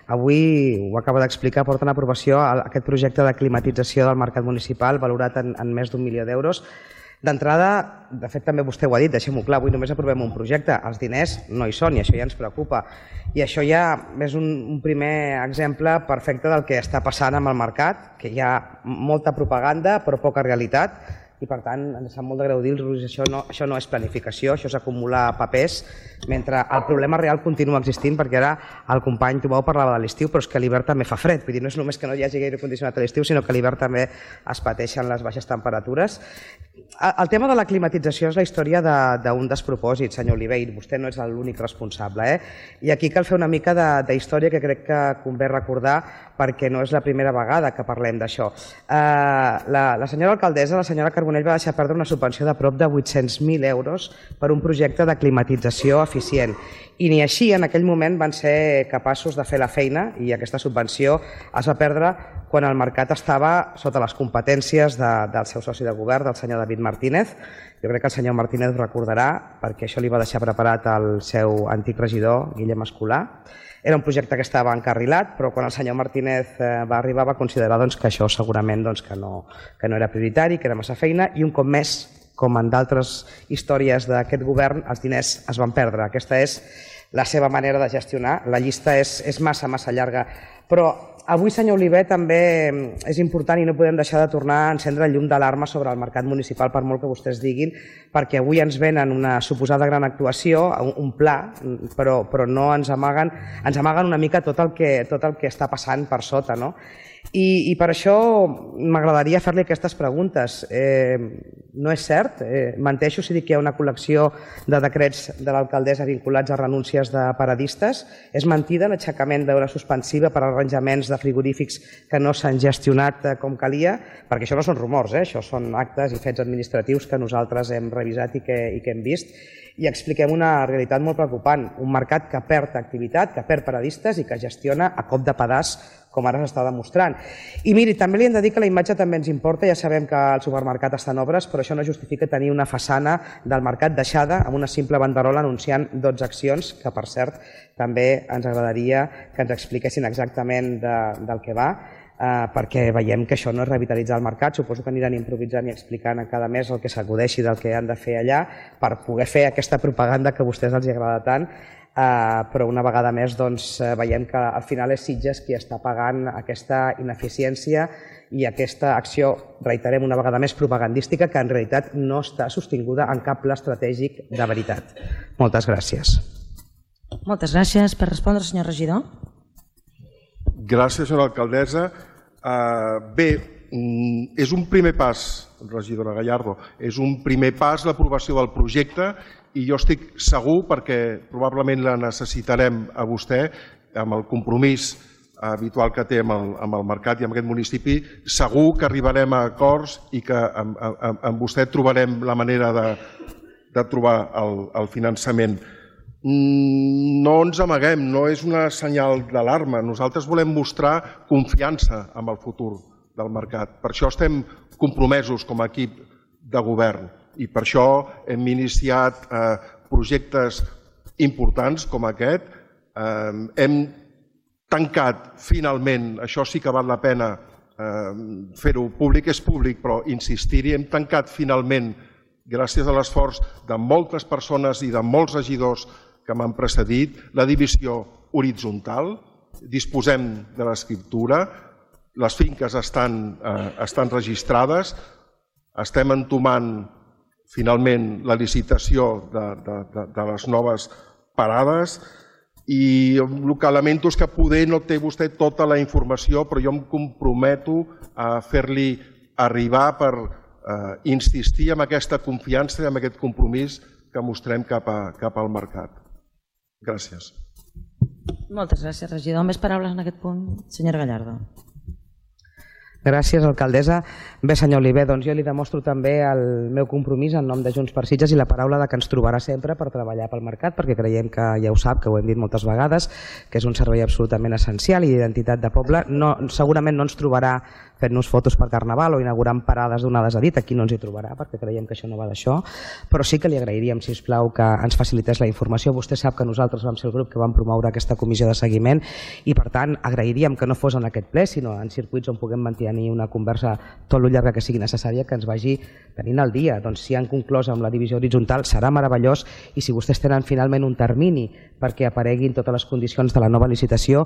Avui ho acaba d'explicar, porta en aprovació aquest projecte de climatització del mercat municipal valorat en més d'1 milió d'euros. D'entrada, de fet també vostè ho ha dit, deixem-ho clar, avui només aprovem un projecte, els diners no hi són i això ja ens preocupa. I això ja és un primer exemple perfecte del que està passant amb el mercat, que hi ha molta propaganda però poca realitat, i per tant ens sap molt de greu dir-los això no és planificació, això és acumular papers, mentre el problema real continua existint, perquè ara el company Tubau parlava de l'estiu, però és que a l'hivern també fa fred, vull dir, no és només que no hi hagi gaire condicionat a l'estiu, sinó que a l'hivern també es pateixen les baixes temperatures. El tema de la climatització és la història d'un despropòsit, senyor Oliver, i vostè no és l'únic responsable. I aquí cal fer una mica d'història que crec que convé recordar, perquè no és la primera vegada que parlem d'això. La senyora alcaldessa, la senyora Carbonell, va deixar perdre una subvenció de prop de 800.000 euros per un projecte de climatització eficient. I ni així en aquell moment van ser capaços de fer la feina i aquesta subvenció es va perdre quan el mercat estava sota les competències del seu soci de govern, del senyor David Martínez. Jo crec que el senyor Martínez ho recordarà perquè això li va deixar preparat el seu antic regidor, Guillem Escolà. Era un projecte que estava encarrilat, però quan el senyor Martínez va arribar va considerar que això segurament que no era prioritari, que era massa feina, i un cop més, com en d'altres històries d'aquest govern, els diners es van perdre. Aquesta és la seva manera de gestionar. La llista és massa llarga. Però avui, senyor Oliver, també és important i no podem deixar de tornar a encendre el llum d'alarma sobre el mercat municipal, per molt que vostès diguin, perquè avui ens venen una suposada gran actuació, un pla, però no ens amaguen una mica tot el que està passant per sota, no? I per això m'agradaria fer-li aquestes preguntes. No és cert? Menteixo si dic que hi ha una col·lecció de decrets de l'alcaldessa vinculats a renúncies de paradistes? És mentida l'aixecament d'hora suspensiva per arranjaments de frigorífics que no s'han gestionat com calia? Perquè això no són rumors, això són actes i fets administratius que nosaltres hem revisat i que hem vist. I expliquem una realitat molt preocupant, un mercat que perd activitat, que perd paradistes i que gestiona a cop de pedaç, com ara s'està demostrant. I miri, també li hem de dir que la imatge també ens importa, ja sabem que el supermercat està en obres, però això no justifica tenir una façana del mercat deixada amb una simple banderola anunciant 12 accions, que per cert també ens agradaria que ens expliquessin exactament del que va, perquè veiem que això no és revitalitzar el mercat. Suposo que aniran improvisant i explicant a cada mes el que s'acudeixi del que han de fer allà per poder fer aquesta propaganda que a vostès els agrada tant, però una vegada més veiem que al final és Sitges qui està pagant aquesta ineficiència i aquesta acció, reiterem una vegada més, propagandística, que en realitat no està sostinguda en cap pla estratègic de veritat. Moltes gràcies. Moltes gràcies. Per respondre, senyor regidor. Gràcies, senyora alcaldessa. Bé, és un primer pas, regidora Gallardo, és un primer pas l'aprovació del projecte i jo estic segur, perquè probablement la necessitarem a vostè, amb el compromís habitual que té amb el mercat i amb aquest municipi, segur que arribarem a acords i que amb vostè trobarem la manera de trobar el finançament. No ens amaguem, no és una senyal d'alarma. Nosaltres volem mostrar confiança en el futur del mercat. Per això estem compromesos com a equip de govern i per això hem iniciat projectes importants com aquest. Hem tancat finalment, això sí que val la pena fer-ho públic, és públic, però insistir-hi, hem tancat finalment, gràcies a l'esforç de moltes persones i de molts regidors que m'han precedit, la divisió horitzontal. Disposem de l'escriptura, les finques estan registrades, estem entomant finalment la licitació de les noves parades i el que lamento és que poder no té vostè tota la informació, però jo em comprometo a fer-li arribar per insistir en aquesta confiança i en aquest compromís que mostrem cap al mercat. Gràcies. Moltes gràcies, regidor. Més paraules en aquest punt? Senyora Gallardo. Gràcies, alcaldessa. Bé, senyor Oliver, doncs jo li demostro també el meu compromís en nom de Junts per Sitges i la paraula que ens trobarà sempre per treballar pel mercat, perquè creiem que ja ho sap, que ho hem dit moltes vegades, que és un servei absolutament essencial i d'identitat de poble. Segurament no ens trobarà fent-nos fotos per Carnaval o inaugurant parades donades a dit. Aquí no ens hi trobarà perquè creiem que això no va d'això, però sí que li agrairíem, si us plau, que ens facilités la informació. Vostè sap que nosaltres vam ser el grup que vam promoure aquesta comissió de seguiment i, per tant, agrairíem que no fos en aquest ple, sinó en circuits on puguem mantenir una conversa tot lo llarga que sigui necessària, que ens vagi tenint al dia. Doncs si han conclòs amb la divisió horitzontal serà meravellós, i si vostès tenen finalment un termini perquè apareguin totes les condicions de la nova licitació,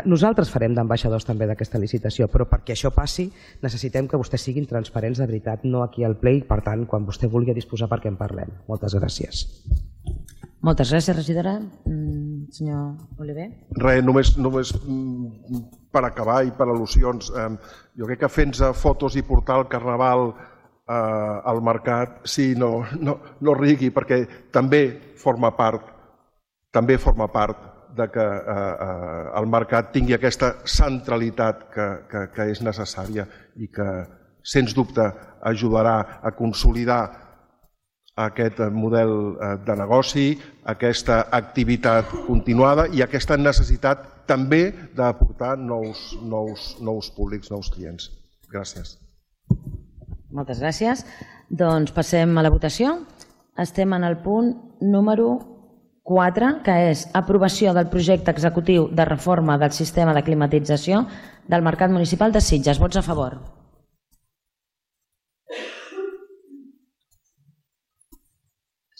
nosaltres farem d'ambaixadors també d'aquesta licitació, però perquè això passi necessitem que vostès siguin transparents de veritat, no aquí al ple, i per tant, quan vostè vulgui disposar perquè en parlem. Moltes gràcies. Moltes gràcies, regidora. Senyor Oliver. Res, només per acabar i per al·lusions. Jo crec que fent fotos i portar el Carnaval al mercat, sí, no rigui, perquè també forma part de que el mercat tingui aquesta centralitat que és necessària i que, sens dubte, ajudarà a consolidar aquest model de negoci, aquesta activitat continuada i aquesta necessitat també d'aportar nous públics, nous clients. Gràcies. Moltes gràcies. Doncs passem a la votació. Estem en el punt número 4, que és aprovació del projecte executiu de reforma del sistema de climatització del Mercat Municipal de Sitges. Vots a favor.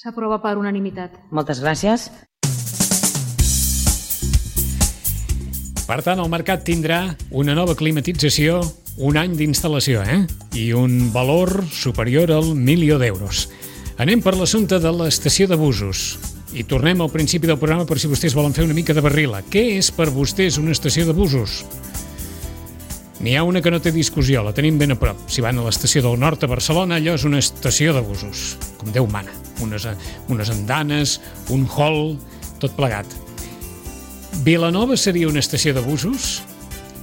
S'aprova per unanimitat. Moltes gràcies. Per tant, el mercat tindrà una nova climatització, un any d'instal·lació, i un valor superior al 1.000.000 d'euros. Anem per l'assumpte de l'estació de busos. I tornem al principi del programa per si vostès volen fer una mica de barrila. Què és per vostès una estació de busos? N'hi ha una que no té discussió, la tenim ben a prop. Si van a l'estació del nord a Barcelona, allò és una estació de busos, com Déu mana. Unes andanes, un hall, tot plegat. Vilanova seria una estació de busos?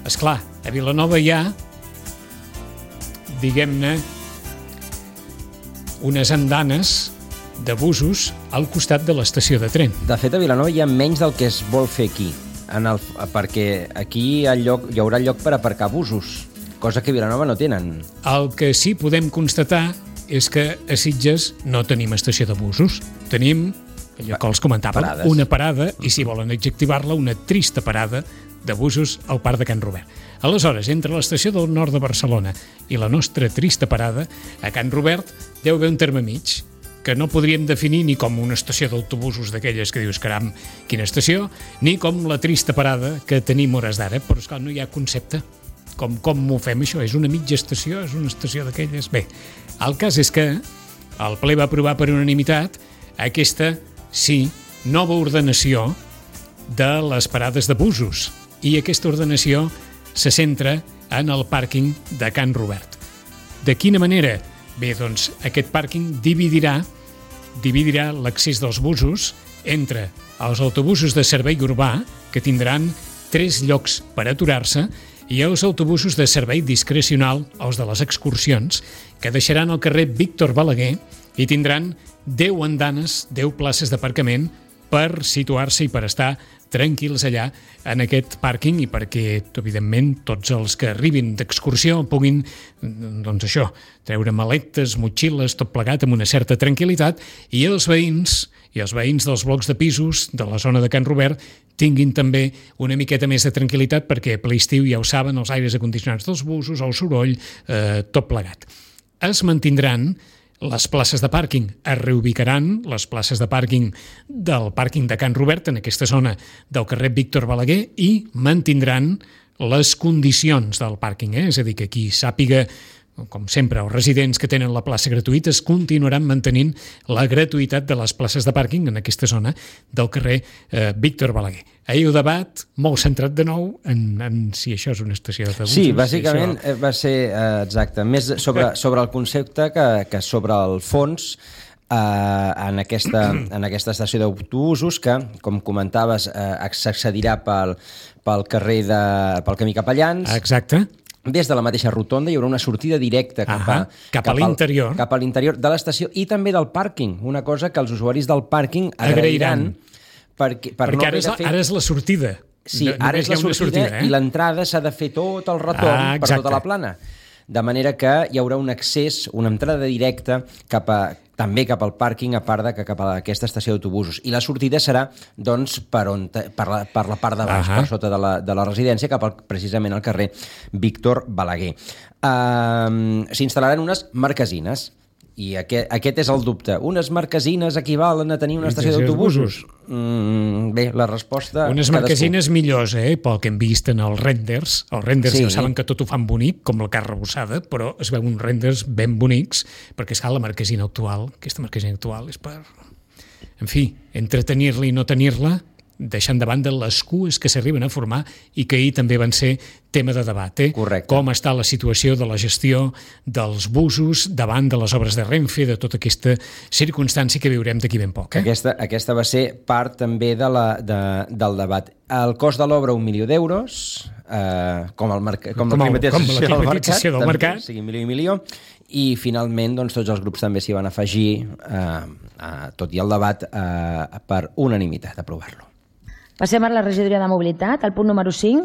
Esclar, a Vilanova hi ha, diguem-ne, unes andanes de busos al costat de l'estació de tren. De fet, a Vilanova hi ha menys del que es vol fer aquí, perquè aquí hi haurà lloc per aparcar busos, cosa que a Vilanova no tenen. El que sí podem constatar és que a Sitges no tenim estació de busos. Tenim, allò que els comentàvem, una parada, i si volen adjectivar-la, una trista parada de busos al Parc de Can Robert. Aleshores, entre l'estació del nord de Barcelona i la nostra trista parada, a Can Robert deu haver un terme mig, que no podríem definir ni com una estació d'autobusos d'aquelles que dius, caram, quina estació, ni com la trista parada que tenim hores d'ara, però esclar, no hi ha concepte. Com ho fem això? És una mitja estació? És una estació d'aquelles? Bé, el cas és que el ple va aprovar per unanimitat aquesta, sí, nova ordenació de les parades de busos, i aquesta ordenació se centra en el pàrquing de Can Robert. De quina manera? Bé, doncs aquest pàrquing dividirà l'accés dels busos entre els autobusos de servei urbà, que tindran 3 llocs per aturar-se, i els autobusos de servei discrecional, els de les excursions, que deixaran el carrer Víctor Balaguer i tindran 10 andanes, 10 places d'aparcament per situar-se i per estar tranquils allà en aquest pàrquing, i perquè, evidentment, tots els que arribin d'excursió puguin, doncs això, treure maletes, motxilles, tot plegat amb una certa tranquil·litat, i els veïns dels blocs de pisos de la zona de Can Robert tinguin també una miqueta més de tranquil·litat, perquè a ple estiu, ja ho saben, els aires acondicionats dels busos, el soroll, tot plegat. Es mantindran les places de pàrquing, es reubicaran les places de pàrquing del pàrquing de Can Robert en aquesta zona del carrer Víctor Balaguer, i mantindran les condicions del pàrquing, és a dir, que qui sàpiga, com sempre, els residents que tenen la plaça gratuïta es continuaran mantenint la gratuïtat de les places de pàrquing en aquesta zona del carrer Víctor Balaguer. Ahir el debat, molt centrat de nou en si això és una estació de busos. Sí, bàsicament va ser exacte, més sobre el concepte que sobre el fons en aquesta estació d'autobusos que, com comentaves, s'accedirà pel camí Capellans. Exacte. Des de la mateixa rotonda hi haurà una sortida directa cap a l'interior de l'estació i també del pàrquing, una cosa que els usuaris del pàrquing agrairan. Perquè ara és la sortida. Sí, ara és la sortida i l'entrada s'ha de fer tot el retorn per tota la plana. De manera que hi haurà un accés, una entrada directa també cap al pàrquing, a part de que cap a aquesta estació d'autobusos. I la sortida serà doncs, per la part de baix, per sota de la residència, precisament al carrer Víctor Balaguer. S'instal·laran unes marquesines. I aquest és el dubte. Unes marquesines equivalen a tenir una estació d'autobusos? Bé, la resposta... Unes marquesines millors, pel que hem vist en els renders. Els renders ja saben que tot ho fan bonic, com la carn rebossada, però es veuen uns renders ben bonics, perquè és que la marquesina actual, aquesta marquesina actual és per... En fi, entretenir-la i no tenir-la, deixant de banda les cues que s'arriben a formar i que ahir també van ser tema de debat. Correcte. Com està la situació de la gestió dels busos davant de les obres de Renfe, de tota aquesta circumstància que viurem d'aquí ben poc. Aquesta va ser part també del debat. El cost de l'obra, 1 milió d'euros, com la privatització del mercat, sigui milió, i finalment tots els grups també s'hi van afegir, tot i el debat, per unanimitat, aprovar-lo. Passem a la regidoria de mobilitat, el punt número 5,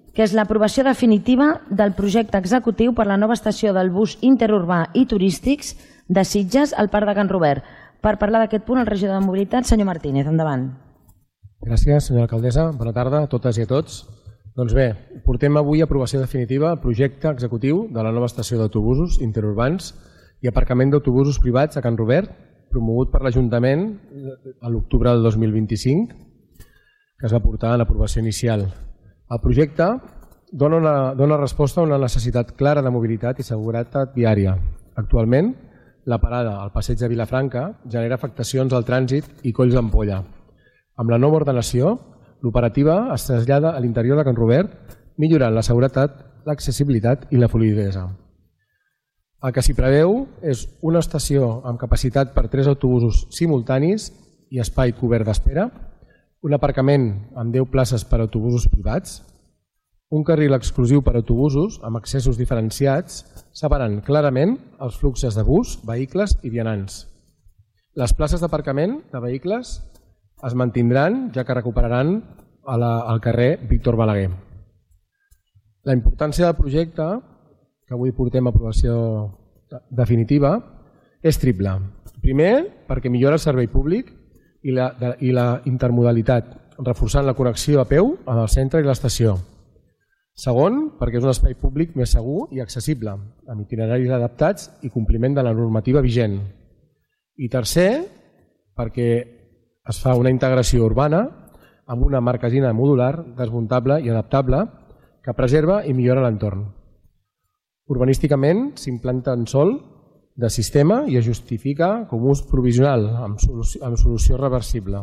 que és l'aprovació definitiva del projecte executiu per la nova estació del bus interurbà i turístics de Sitges al Parc de Can Robert. Per parlar d'aquest punt, el regidor de mobilitat, senyor Martínez, endavant. Gràcies, senyora alcaldessa. Bona tarda a totes i a tots. Doncs bé, portem avui a aprovació definitiva el projecte executiu de la nova estació d'autobusos interurbans i aparcament d'autobusos privats a Can Robert, promogut per l'Ajuntament a l'octubre del 2025, que es va portar a l'aprovació inicial. El projecte dona resposta a una necessitat clara de mobilitat i seguretat viària. Actualment, la parada al passeig de Vilafranca genera afectacions al trànsit i colls d'ampolla. Amb la nova ordenació, l'operativa es trasllada a l'interior de Can Robert, millorant la seguretat, l'accessibilitat i la fluïdesa. El que s'hi preveu és una estació amb capacitat per 3 autobusos simultanis i espai cobert d'espera, un aparcament amb 10 places per a autobusos privats, un carril exclusiu per a autobusos amb accessos diferenciats, separant clarament els fluxos de bus, vehicles i vianants. Les places d'aparcament de vehicles es mantindran, ja que recuperaran al carrer Víctor Balaguer. La importància del projecte, que avui portem a aprovació definitiva, és triple. Primer, perquè millora el servei públic i la intermodalitat, reforçant la connexió a peu amb el centre i l'estació. Segon, perquè és un espai públic més segur i accessible, amb itineraris adaptats i compliment de la normativa vigent. I tercer, perquè es fa una integració urbana amb una marquesina modular, desmuntable i adaptable que preserva i millora l'entorn. Urbanísticament s'implanta en sòl de sistema i es justifica com ús provisional amb solució reversible.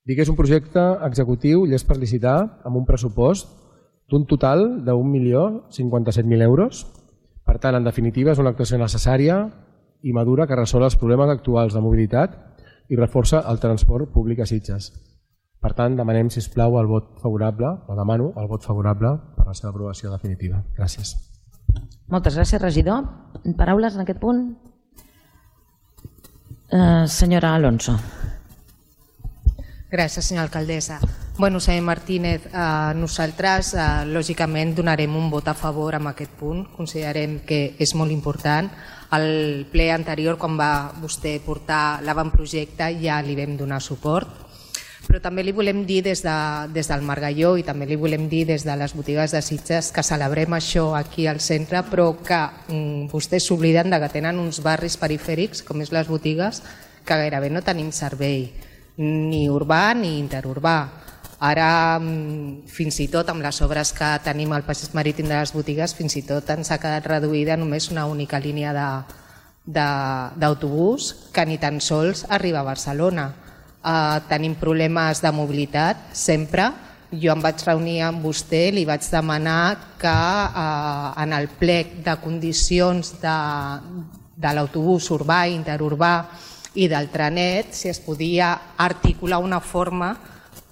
Dic que és un projecte executiu llest per licitar amb un pressupost d'un total de 1.057.000 euros. Per tant, en definitiva, és una actuació necessària i madura que resol els problemes actuals de mobilitat i reforça el transport públic a Sitges. Per tant, demanem, sisplau, el vot favorable, o demano el vot favorable per la seva aprovació definitiva. Gràcies. Moltes gràcies, regidor. Paraules en aquest punt? Senyora Alonso. Gràcies, senyora alcaldessa. Bueno, senyor Martínez, nosaltres lògicament donarem un vot a favor amb aquest punt. Considerem que és molt important. Al ple anterior, quan va vostè portar l'avantprojecte, ja li vam donar suport. Però també li volem dir des del Margalló i també li volem dir des de les botigues de Sitges que celebrem això aquí al centre, però que vostès s'obliden que tenen uns barris perifèrics, com és les botigues, que gairebé no tenim servei, ni urbà ni interurbà. Ara, fins i tot amb les obres que tenim al passeig marítim de les botigues, fins i tot ens ha quedat reduïda només una única línia d'autobús que ni tan sols arriba a Barcelona. Tenim problemes de mobilitat sempre. Jo em vaig reunir amb vostè, li vaig demanar que en el plec de condicions de l'autobús urbà, interurbà i del trenet, si es podia articular una forma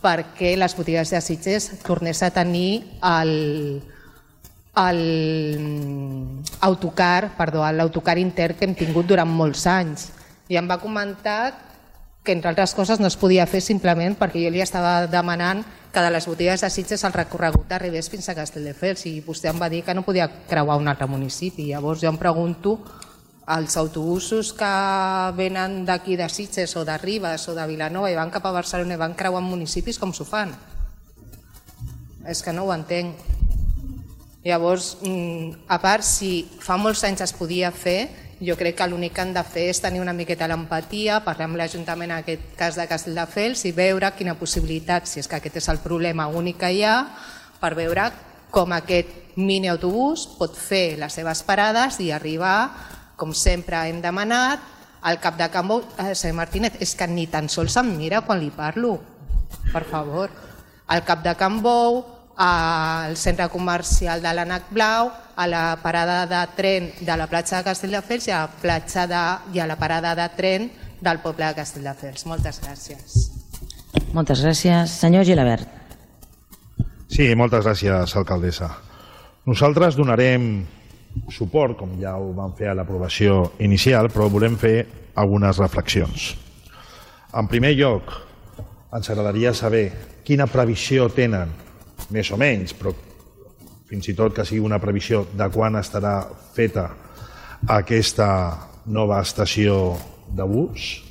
perquè les botigues de Sitges tornés a tenir l'autocar intern que hem tingut durant molts anys. I em va comentar que entre altres coses no es podia fer simplement perquè jo li estava demanant que de les botigues de Sitges el recorregut arribés fins a Castelldefels i vostè em va dir que no podia creuar un altre municipi. Llavors jo em pregunto, els autobusos que venen d'aquí de Sitges o de Ribes o de Vilanova i van cap a Barcelona i van creuant municipis, com s'ho fan? És que no ho entenc. Llavors, a part, si fa molts anys es podia fer, jo crec que l'únic que han de fer és tenir una miqueta l'empatia, parlar amb l'Ajuntament, en aquest cas de Castelldefels, i veure quina possibilitat, si és que aquest és el problema únic que hi ha, per veure com aquest mini-autobús pot fer les seves parades i arribar, com sempre hem demanat, al cap de Can Bou. Senyor Martínez, és que ni tan sols em mira quan li parlo, per favor. Al cap de Can Bou, al centre comercial de l'Ànec Blau, a la parada de tren de la platja de Castelldefels i a la parada de tren del poble de Castelldefels. Moltes gràcies. Moltes gràcies. Senyor Gilabert. Sí, moltes gràcies, alcaldessa. Nosaltres donarem suport, com ja ho vam fer a l'aprovació inicial, però volem fer algunes reflexions. En primer lloc, ens agradaria saber quina previsió tenen, més o menys, però fins i tot que sigui una previsió de quan estarà feta aquesta nova estació de bus.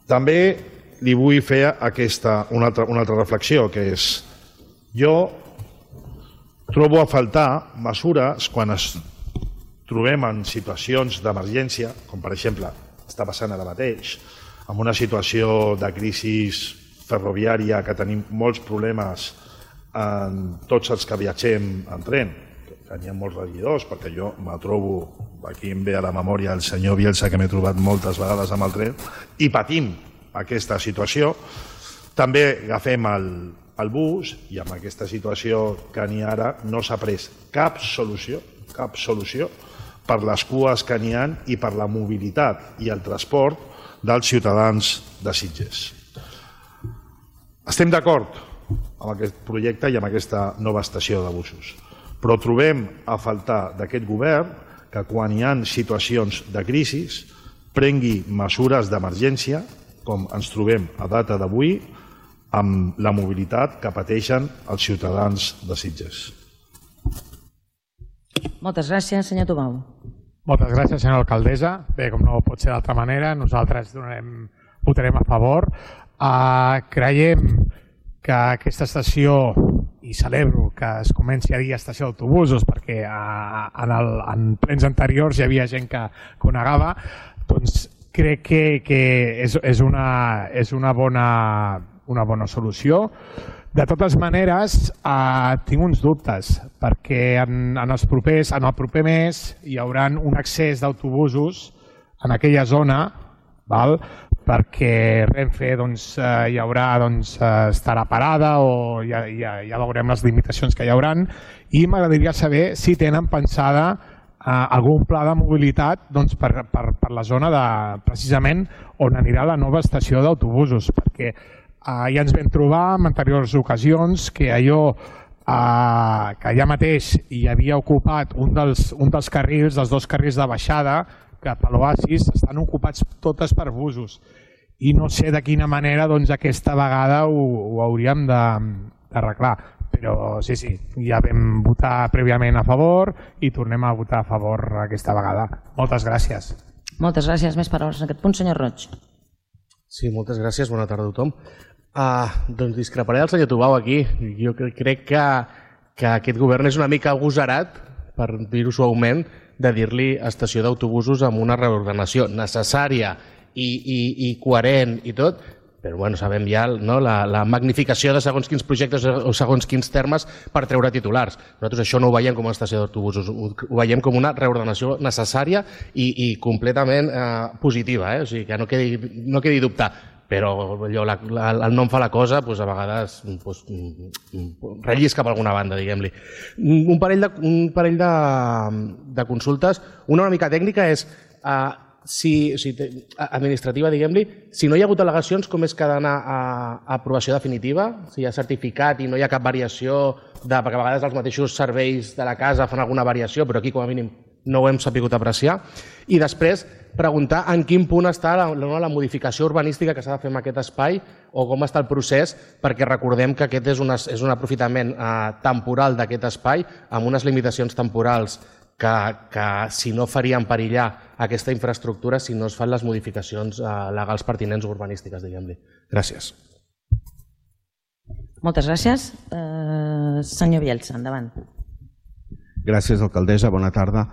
També li vull fer una altra reflexió, que és: jo trobo a faltar mesures quan es trobem en situacions d'emergència, com per exemple està passant ara mateix, en una situació de crisi ferroviària que tenim molts problemes en tots els que viatgem en tren, que n'hi ha molts regidors, perquè jo me trobo, aquí em ve a la memòria el senyor Bielsa, que m'he trobat moltes vegades amb el tren, i patim aquesta situació. També agafem el bus i amb aquesta situació que n'hi ha ara no s'ha pres cap solució per les cues que n'hi ha i per la mobilitat i el transport dels ciutadans de Sitges. Estem d'acord amb aquest projecte i amb aquesta nova estació de busos, però trobem a faltar d'aquest govern que quan hi ha situacions de crisi prengui mesures d'emergència, com ens trobem a data d'avui amb la mobilitat que pateixen els ciutadans de Sitges. Moltes gràcies, senyor Tubau. Moltes gràcies, senyora alcaldessa. Bé, com no pot ser d'altra manera, nosaltres votarem a favor. Creiem que aquesta estació, i celebro que es comenci a dir estació d'autobusos, perquè en plens anteriors hi havia gent que ho negava, doncs crec que és una bona solució. De totes maneres, tinc uns dubtes, perquè en el proper mes hi haurà un accés d'autobusos en aquella zona, perquè Renfe estarà parada o ja veurem les limitacions que hi haurà, i m'agradaria saber si tenen pensada algun pla de mobilitat per la zona precisament on anirà la nova estació d'autobusos, perquè ja ens vam trobar en anteriors ocasions que allò que allà mateix hi havia ocupat un dels carrils, dels dos carrils de baixada cap a l'Oasis, estan ocupats totes per busos. I no sé de quina manera aquesta vegada ho hauríem d'arreglar. Però sí, ja vam votar prèviament a favor i tornem a votar a favor aquesta vegada. Moltes gràcies. Moltes gràcies. Més paraules en aquest punt, senyor Roig. Sí, moltes gràcies. Bona tarda a tothom. Doncs discreparé del senyor Tubau aquí. Jo crec que aquest govern és una mica agosarat, per dir-ho suaument, de dir-li estació d'autobusos amb una reordenació necessària i coherent i tot, però bueno, sabem ja la magnificació de segons quins projectes o segons quins termes per treure titulars. Nosaltres això no ho veiem com una estació d'autobusos, ho veiem com una reordenació necessària i completament positiva, o sigui que no quedi dubte. Però el nom fa la cosa, a vegades rellisca per alguna banda, diguem-li. Un parell de consultes. Una mica tècnica és, administrativa, diguem-li, si no hi ha hagut al·legacions, com és que ha d'anar a aprovació definitiva? Si hi ha certificat i no hi ha cap variació, perquè a vegades els mateixos serveis de la casa fan alguna variació, però aquí com a mínim no ho hem sabut apreciar. I després, preguntar en quin punt està la modificació urbanística que s'ha de fer en aquest espai o com està el procés, perquè recordem que aquest és un aprofitament temporal d'aquest espai amb unes limitacions temporals que si no farien perillar aquesta infraestructura si no es fan les modificacions legals pertinents o urbanístiques, diguem-li. Gràcies. Moltes gràcies. Senyor Bielsa, endavant. Gràcies, alcaldessa. Bona tarda.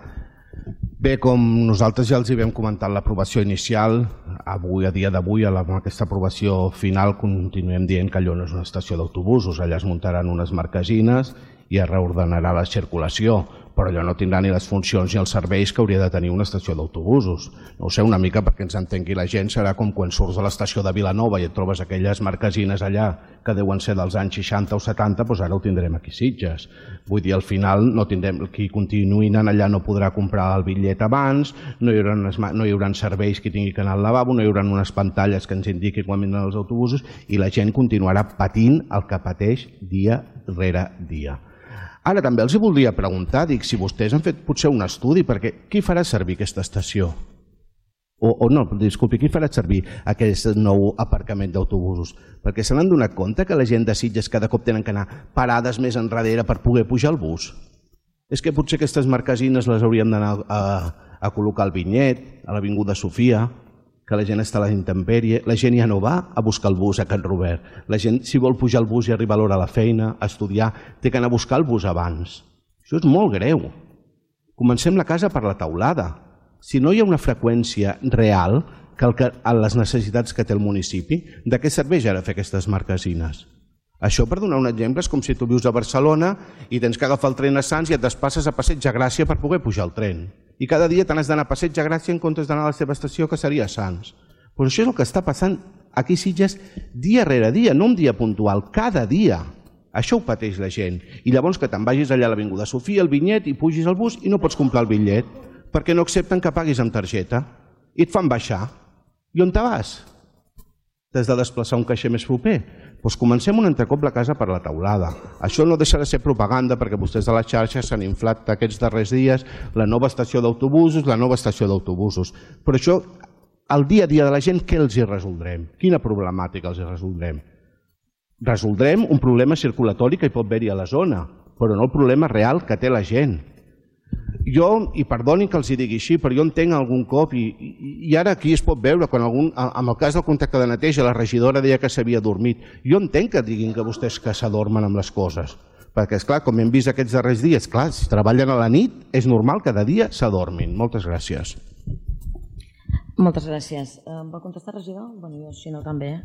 Bé, com nosaltres ja els hi vam comentar l'aprovació inicial, avui, a dia d'avui, amb aquesta aprovació final, continuem dient que allò no és una estació d'autobusos. Allà es muntaran unes marquesines i es reordenarà la circulació, però allò no tindrà ni les funcions ni els serveis que hauria de tenir una estació d'autobusos. No ho sé, una mica perquè ens entengui la gent, serà com quan surts de l'estació de Vilanova i et trobes aquelles marquesines allà que deuen ser dels anys 60 o 70, doncs ara ho tindrem aquí a Sitges. Vull dir, al final, no tindrem, qui continuï anant allà no podrà comprar el bitllet abans, no hi haurà serveis que tingui que anar al lavabo, no hi haurà unes pantalles que ens indiquin quan vindran els autobusos i la gent continuarà patint el que pateix dia rere dia. Ara també els voldria preguntar, dic, si vostès han fet potser un estudi, perquè qui farà servir aquesta estació? O no, disculpi, qui farà servir aquest nou aparcament d'autobusos? Perquè se n'han donat compte que la gent de Sitges cada cop tenen que anar parades més enrere per poder pujar al bus? És que potser aquestes marquesines les haurien d'anar a col·locar al Vinyet, a l'Avinguda Sofia, que la gent està a la intempèrie, la gent ja no va a buscar el bus a Can Robert. La gent, si vol pujar al bus i arribar a l'hora a la feina, a estudiar, té que anar a buscar el bus abans. Això és molt greu. Comencem la casa per la teulada. Si no hi ha una freqüència real a les necessitats que té el municipi, de què serveix ara fer aquestes marquesines? Això, per donar un exemple, és com si tu vius a Barcelona i tens que agafar el tren a Sants i et despasses a Passeig de Gràcia per poder pujar al tren. I cada dia te n'has d'anar a Passeig de Gràcia en comptes d'anar a la teva estació, que seria Sants. Però això és el que està passant aquí a Sitges dia rere dia, no un dia puntual, cada dia. Això ho pateix la gent. I llavors que te'n vagis allà a l'Avinguda Sofia, al Vinyet, i pugis al bus i no pots comprar el bitllet, perquè no accepten que paguis amb targeta. I et fan baixar. I on te vas? T'has de desplaçar un caixer més proper? Doncs comencem un altre cop la casa per la teulada. Això no deixa de ser propaganda perquè vostès de les xarxes s'han inflat aquests darrers dies la nova estació d'autobusos, Però això, al dia a dia de la gent, què els hi resoldrem? Quina problemàtica els hi resoldrem? Resoldrem un problema circulatori que hi pot haver-hi a la zona, però no el problema real que té la gent. Jo, i perdonin que els hi digui així, però jo entenc algun cop, i ara aquí es pot veure, quan en el cas del contracte de neteja la regidora deia que s'havia dormit, jo entenc que diguin que vostès que s'adormen amb les coses, perquè, esclar, com hem vist aquests darrers dies, clar, si treballen a la nit, és normal que de dia s'adormin. Moltes gràcies. Moltes gràcies. Em va contestar, regidor? Bueno, jo, si no, també.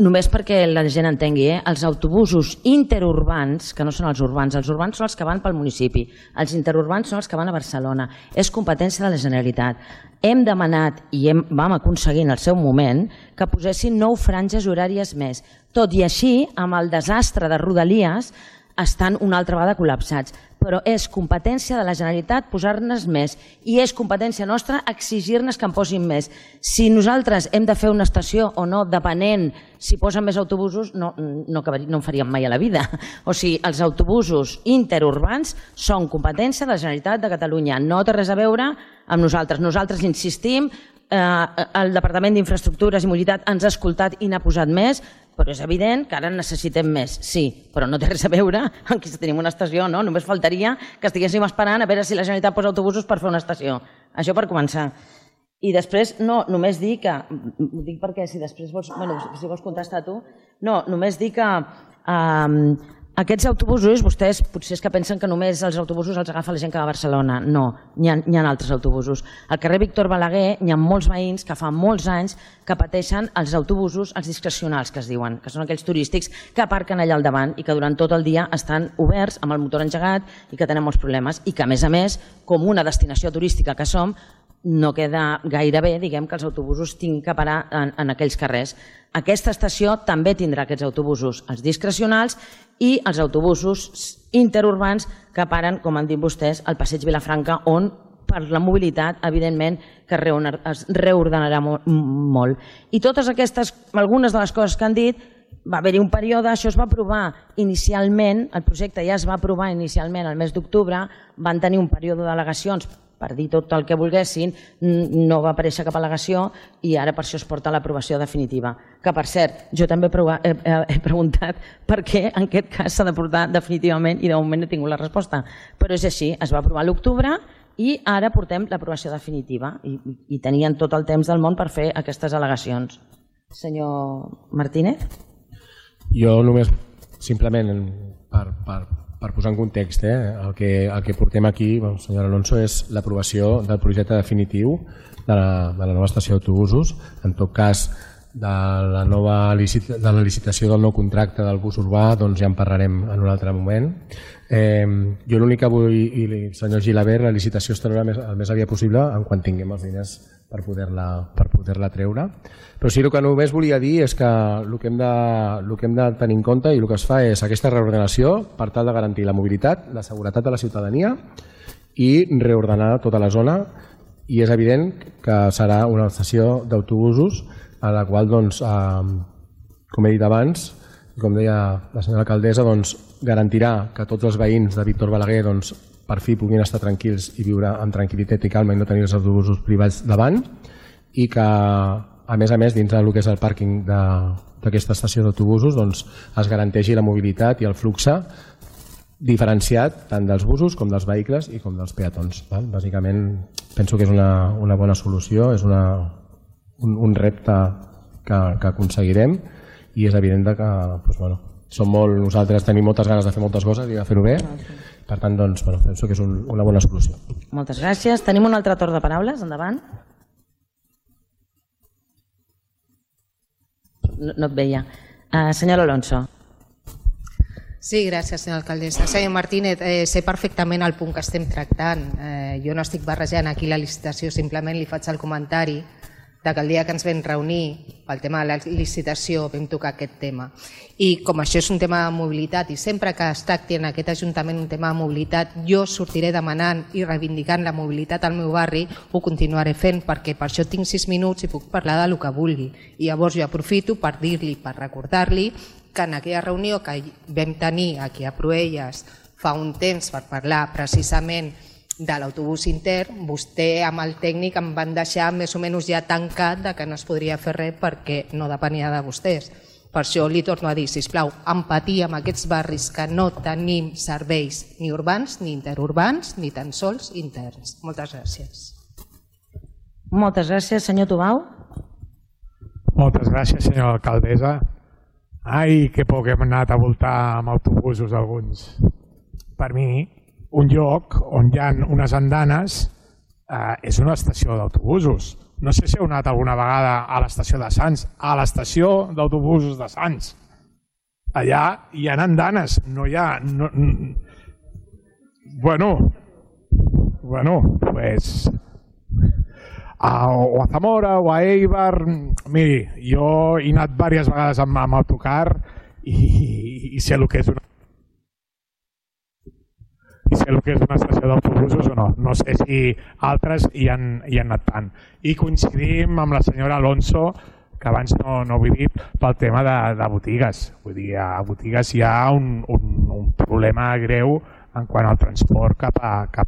Només perquè la gent entengui, els autobusos interurbans, que no són els urbans són els que van pel municipi, els interurbans són els que van a Barcelona, és competència de la Generalitat. Hem demanat i vam aconseguir en el seu moment que posessin 9 franges horàries més. Tot i així, amb el desastre de Rodalies, estan una altra vegada col·lapsats. Però és competència de la Generalitat posar-ne més i és competència nostra exigir-ne que en posin més. Si nosaltres hem de fer una estació o no, depenent si posen més autobusos, no en faríem mai a la vida. O sigui, els autobusos interurbans són competència de la Generalitat de Catalunya. No té res a veure amb nosaltres. Nosaltres insistim, el Departament d'Infraestructures i Mobilitat ens ha escoltat i n'ha posat més, però és evident que ara necessitem més, sí, però no té res a veure amb si tenim una estació, no? Només faltaria que estiguéssim esperant a veure si la Generalitat posa autobusos per fer una estació. Això per començar. I després, no, només dir que, ho dic perquè si després vols, bueno, si vols contestar tu, no, només dir que aquests autobusos, vostès potser és que pensen que només els autobusos els agafa la gent que va a Barcelona. No, n'hi ha altres autobusos. Al carrer Víctor Balaguer hi ha molts veïns que fa molts anys que pateixen els autobusos, els discrecionals que es diuen, que són aquells turístics que aparquen allà al davant i que durant tot el dia estan oberts amb el motor engegat i que tenen molts problemes i que a més, com una destinació turística que som, no queda gaire bé, diguem, que els autobusos tinguin que parar en aquells carrers. Aquesta estació també tindrà aquests autobusos, els discrecionals i els autobusos interurbans que paren, com han dit vostès, al Passeig Vilafranca, on per la mobilitat, evidentment, que es reordenarà molt. I totes aquestes, algunes de les coses que han dit, va haver-hi un període, això es va aprovar inicialment, el projecte ja es va aprovar inicialment el mes d'octubre, van tenir un període d'al·legacions per dir tot el que volguessin, no va aparèixer cap al·legació i ara per això es porta a l'aprovació definitiva. Que, per cert, jo també he preguntat per què en aquest cas s'ha de portar definitivament i de moment no he tingut la resposta. Però és així, es va aprovar a l'octubre i ara portem l'aprovació definitiva i tenien tot el temps del món per fer aquestes al·legacions. Senyor Martínez? Jo només, simplement, per posar en context, el que portem aquí, senyor Alonso, és l'aprovació del projecte definitiu de la nova estació d'autobusos. En tot cas, de la licitació del nou contracte del bus urbà ja en parlarem en un altre moment. Jo l'únic que vull, i senyor Gilabert, la licitació es traurà el més aviat possible en quan tinguem els diners per poder-la treure. Però sí, el que només volia dir és que el que hem de tenir en compte i el que es fa és aquesta reordenació per tal de garantir la mobilitat, la seguretat de la ciutadania i reordenar tota la zona, i és evident que serà una estació d'autobusos a la qual, com he dit abans, com deia la senyora alcaldessa, garantirà que tots els veïns de Víctor Balaguer per fi puguin estar tranquils i viure amb tranquil·litat i calma i no tenir els autobusos privats davant, i que, a més, dins del que és el pàrquing d'aquesta estació d'autobusos es garanteixi la mobilitat i el flux diferenciat tant dels busos com dels vehicles i com dels peatons. Bàsicament, penso que és una bona solució, és un repte que aconseguirem, i és evident que nosaltres tenim moltes ganes de fer moltes coses i de fer-ho bé. Per tant, penso que és una bona solució. Moltes gràcies. Tenim un altre torn de paraules. Endavant. No et veia. Senyor Alonso. Sí, gràcies, senyora alcaldessa. Senyor Martínez, sé perfectament el punt que estem tractant. Jo no estic barrejant aquí la licitació, simplement li faig el comentari que el dia que ens vam reunir pel tema de la licitació vam tocar aquest tema. I com això és un tema de mobilitat i sempre que es tracti en aquest Ajuntament un tema de mobilitat, jo sortiré demanant i reivindicant la mobilitat al meu barri, ho continuaré fent perquè per això tinc 6 minuts i puc parlar del que vulgui. I llavors jo aprofito per dir-li, per recordar-li que en aquella reunió que vam tenir aquí a Proelles fa un temps per parlar precisament de l'autobús intern, vostè amb el tècnic em van deixar més o menys ja tancat que no es podria fer res perquè no depenia de vostès. Per això li torno a dir, sisplau, empatia amb aquests barris que no tenim serveis ni urbans ni interurbans ni tan sols interns. Moltes gràcies. Moltes gràcies, senyor Tubau. Moltes gràcies, senyora alcaldessa. Ai, que poc hem anat a voltar amb autobusos alguns. Per mi, un lloc on hi ha unes andanes és una estació d'autobusos. No sé si heu anat alguna vegada a l'estació de Sants, a l'estació d'autobusos de Sants. Allà hi ha andanes, no hi ha... Bueno, pues... O a Zamora o a Eibar... Miri, jo he anat diverses vegades amb autocar i sé el que és una... I sé el que és una estació d'autobusos o no. No sé si altres hi han anat tant. I coincidim amb la senyora Alonso, que abans no ho he dit, pel tema de botigues. Vull dir, a botigues hi ha un problema greu en quant al transport cap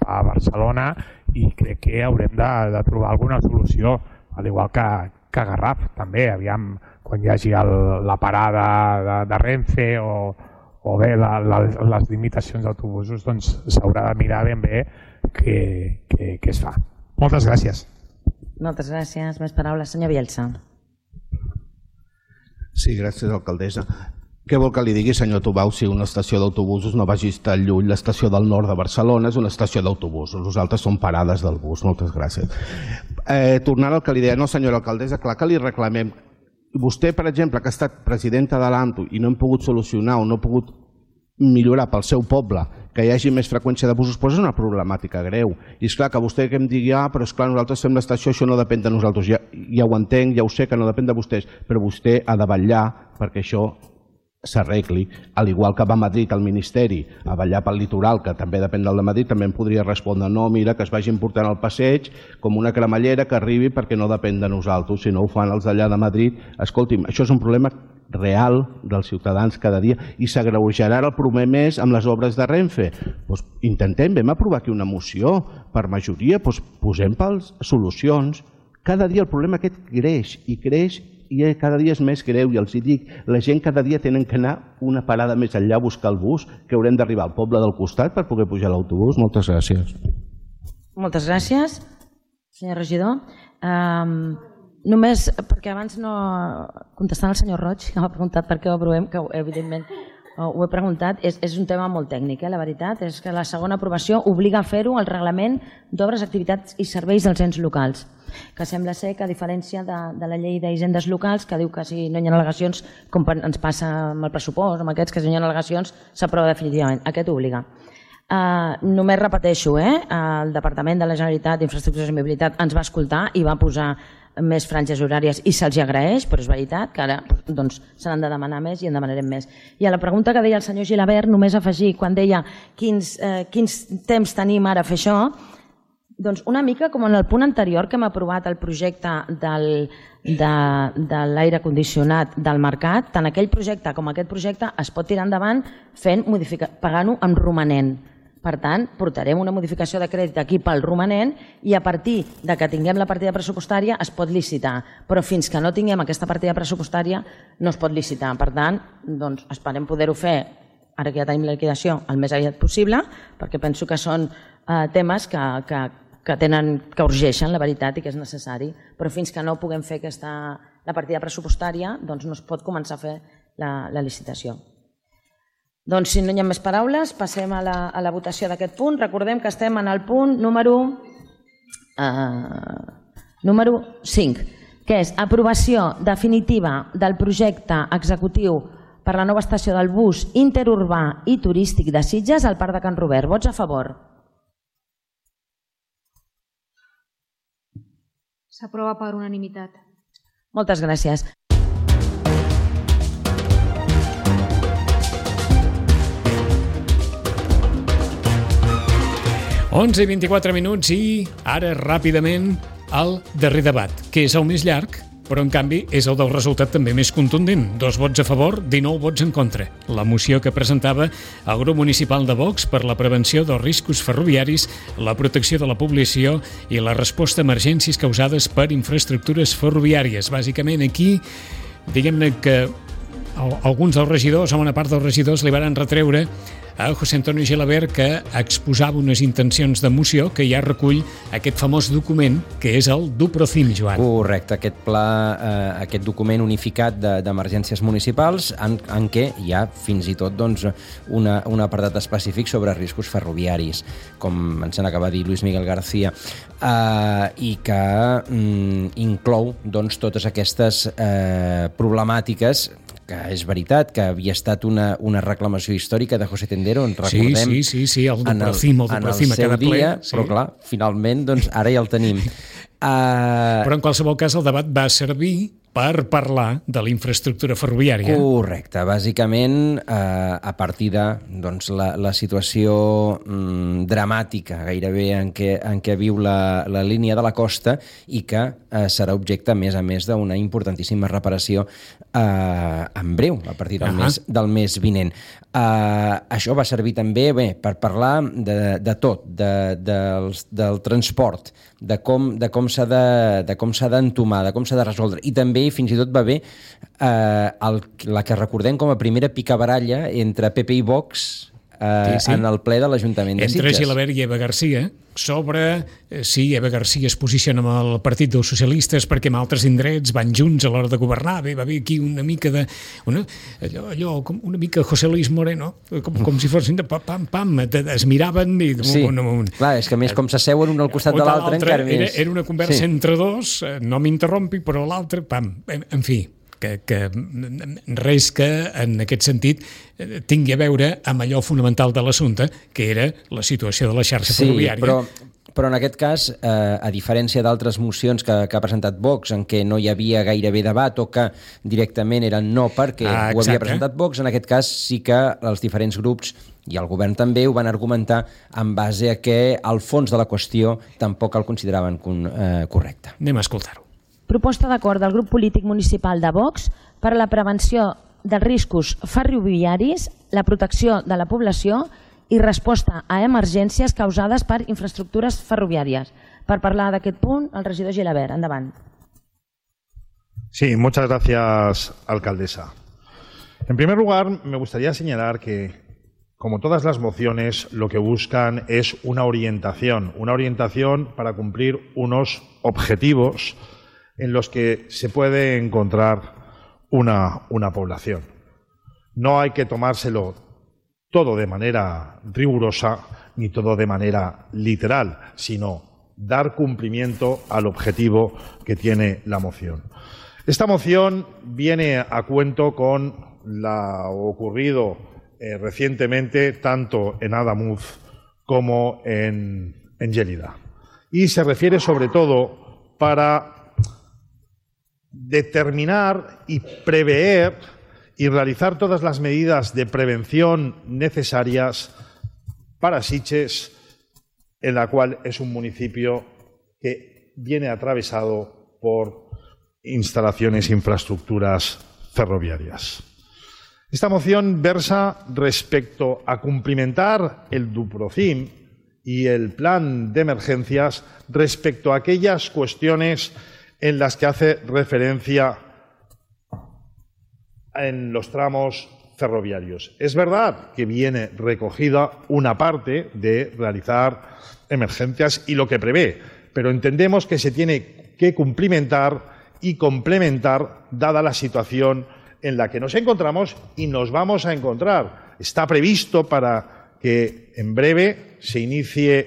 a Barcelona i crec que haurem de trobar alguna solució, al igual que a Garraf també. Aviam, quan hi hagi la parada de Renfe o bé les limitacions d'autobusos, doncs s'haurà de mirar ben bé què es fa. Moltes gràcies. Moltes gràcies. Més paraules. Senyor Bielsa. Sí, gràcies, alcaldessa. Què vol que li digui, senyor Tubau, si una estació d'autobusos no vagi tan lluny? L'estació del nord de Barcelona és una estació d'autobusos, els altres són parades del bus. Moltes gràcies. Tornant al que li deia, no, senyora alcaldessa, clar que li reclamem. Vostè, per exemple, que ha estat presidenta de l'AMTU i no hem pogut solucionar o no ha pogut millorar pel seu poble que hi hagi més freqüència de busos, però és una problemàtica greu. I és clar que vostè que em digui, però és clar, nosaltres fem l'estació, això no depèn de nosaltres. Ja ho entenc, ja ho sé que no depèn de vostès, però vostè ha de vetllar perquè això s'arregli, al igual que va a Madrid al Ministeri a vetllar pel litoral, que també depèn del de Madrid, també em podria respondre, no, mira, que es vagin portant al passeig com una cremallera que arribi perquè no depèn de nosaltres, si no ho fan els d'allà de Madrid. Escolti'm, això és un problema real dels ciutadans cada dia i s'agreujarà el primer mes amb les obres de Renfe. Doncs intentem, vam aprovar aquí una moció per majoria, doncs posem pels solucions. Cada dia el problema aquest creix i creix i cada dia és més greu i els dic, la gent cada dia tenen que anar una parada més enllà a buscar el bus, que haurem d'arribar al poble del costat per poder pujar a l'autobús. Moltes gràcies. Moltes gràcies, senyor regidor. Només perquè abans no... Contestant al senyor Roig, que m'ha preguntat per què ho aprovem, que evidentment ho he preguntat, és un tema molt tècnic, la veritat, és que la segona aprovació obliga a fer-ho al reglament d'obres, activitats i serveis dels ens locals, que sembla ser que a diferència de la llei d'hisendes locals, que diu que si no hi ha al·legacions, com ens passa amb el pressupost, amb aquests que si no hi ha al·legacions, s'aprova definitivament. Aquest obliga. Només repeteixo, el Departament de la Generalitat d'Infraestructures i Mobilitat ens va escoltar i va posar més franges horàries i se'ls agraeix, però és veritat que ara se n'han de demanar més i en demanarem més. I a la pregunta que deia el senyor Gilabert, només afegir, quan deia quins temps tenim ara a fer això, doncs una mica com en el punt anterior que hem aprovat el projecte de l'aire condicionat del mercat, tant aquell projecte com aquest projecte es pot tirar endavant pagant-ho amb romanent. Per tant, portarem una modificació de crèdit aquí pel romanent i a partir de que tinguem la partida pressupostària es pot licitar. Però fins que no tinguem aquesta partida pressupostària no es pot licitar. Per tant, esperem poder-ho fer, ara que ja tenim la liquidació, el més aviat possible, perquè penso que són temes que urgeixen, la veritat, i que és necessari. Però fins que no puguem fer la partida pressupostària, no es pot començar a fer la licitació. Doncs si no hi ha més paraules, passem a la votació d'aquest punt. Recordem que estem en el punt número 5, que és aprovació definitiva del projecte executiu per la nova estació del bus interurbà i turístic de Sitges al Parc de Can Robert. Vots a favor? S'aprova per unanimitat. Moltes gràcies. Onze i 24 minuts i ara ràpidament el darrer debat, que és el més llarg, però en canvi és el del resultat també més contundent. 2 vots a favor, 19 vots en contra. La moció que presentava el grup municipal de Vox per la prevenció dels riscos ferroviaris, la protecció de la població i la resposta a emergències causades per infraestructures ferroviàries. Bàsicament aquí, diguem-ne que alguns dels regidors, o una part dels regidors, li van retreure a José Antonio Gilabert que exposava unes intencions de moció que ja recull aquest famós document que és el DUPROCIM, Joan. Correcte, aquest pla, aquest document unificat d'emergències municipals en què hi ha fins i tot un apartat específic sobre riscos ferroviaris, com ens acaba de dir Luis Miguel García, i que inclou totes aquestes problemàtiques que és veritat que havia estat una reclamació històrica de José Tendero, en recordem, sí, el DUPROCIM en el seu dia, però clar, finalment ara ja el tenim. Però en qualsevol cas el debat va servir per parlar de la infraestructura ferroviària. Correcte, bàsicament a partir de la situació dramàtica gairebé en què viu la línia de la costa i que serà objecte, a més d'una importantíssima reparació en breu, a partir del mes vinent. Això va servir també per parlar de tot, del transport, de com s'ha d'entomar, de com s'ha de resoldre, i també fins i tot va haver la que recordem com a primera picabaralla entre PP i Vox en el ple de l'Ajuntament de Sitges. Entre Gilabert i Eva García sobre si Eva García es posiciona amb el Partit dels Socialistes perquè en altres indrets van junts a l'hora de governar. Va haver aquí una mica de... una mica José Luis Moreno, com si fossin de pam, es miraven i... Sí, clar, és que a més com s'asseuen un al costat de l'altre encara més... Era una conversa entre dos, no m'interrompi, però l'altre, pam, en fi... que res que en aquest sentit tingui a veure amb allò fonamental de l'assumpte, que era la situació de la xarxa ferroviària. Però en aquest cas, a diferència d'altres mocions que ha presentat Vox, en què no hi havia gairebé debat o que directament eren no perquè ho havia presentat Vox, en aquest cas sí que els diferents grups i el govern també ho van argumentar en base a que el fons de la qüestió tampoc el consideraven correcte. Anem a escoltar-ho. Proposta d'acord del grup polític municipal de Vox per a la prevenció dels riscos ferroviaris, la protecció de la població i resposta a emergències causades per infraestructures ferroviàries. Per parlar d'aquest punt, el regidor Gilabert. Endavant. Sí, muchas gracias, alcaldesa. En primer lugar, me gustaría señalar que, como todas las mociones, lo que buscan es una orientación para cumplir unos objetivos en los que se puede encontrar una población. No hay que tomárselo todo de manera rigurosa ni todo de manera literal, sino dar cumplimiento al objetivo que tiene la moción. Esta moción viene a cuento con lo ocurrido recientemente tanto en Adamuz como en Gélida. Y se refiere sobre todo para determinar y prever y realizar todas las medidas de prevención necesarias para Sitges, en la cual es un municipio que viene atravesado por instalaciones e infraestructuras ferroviarias. Esta moción versa respecto a cumplimentar el DUPROCIM y el plan de emergencias respecto a aquellas cuestiones en las que hace referencia en los tramos ferroviarios. Es verdad que viene recogida una parte de realizar emergencias y lo que prevé, pero entendemos que se tiene que cumplimentar y complementar dada la situación en la que nos encontramos y nos vamos a encontrar. Está previsto para que en breve se inicie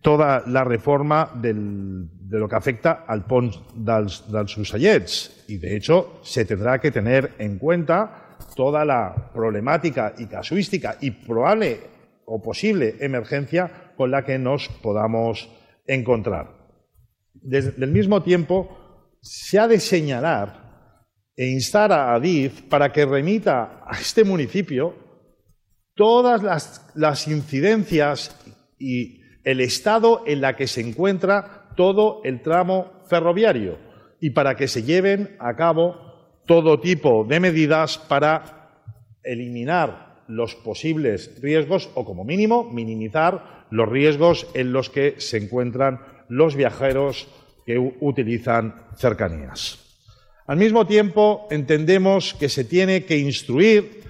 toda la reforma de lo que afecta al pont dels Ossellets y, de hecho, se tendrá que tener en cuenta toda la problemática y casuística y probable o posible emergencia con la que nos podamos encontrar. Del mismo tiempo, se ha de señalar e instar a Adif para que remita a este municipio todas las incidencias y el estado en la que se encuentra todo el tramo ferroviario y para que se lleven a cabo todo tipo de medidas para eliminar los posibles riesgos o, como mínimo, minimizar los riesgos en los que se encuentran los viajeros que utilizan cercanías. Al mismo tiempo, entendemos que se tiene que instruir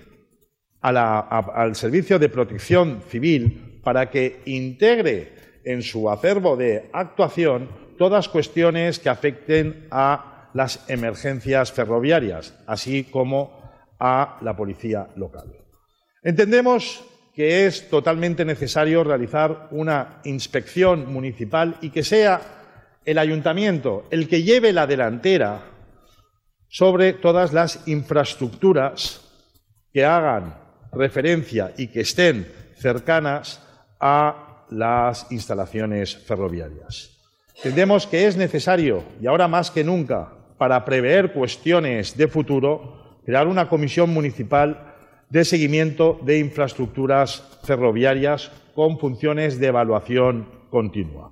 al Servicio de Protección Civil para que integre en su acervo de actuación todas cuestiones que afecten a las emergencias ferroviarias, así como a la policía local. Entendemos que es totalmente necesario realizar una inspección municipal y que sea el ayuntamiento el que lleve la delantera sobre todas las infraestructuras que hagan referencia y que estén cercanas a las instalaciones ferroviarias. Entendemos que es necesario, y ahora más que nunca, para prever cuestiones de futuro, crear una comisión municipal de seguimiento de infraestructuras ferroviarias con funciones de evaluación continua,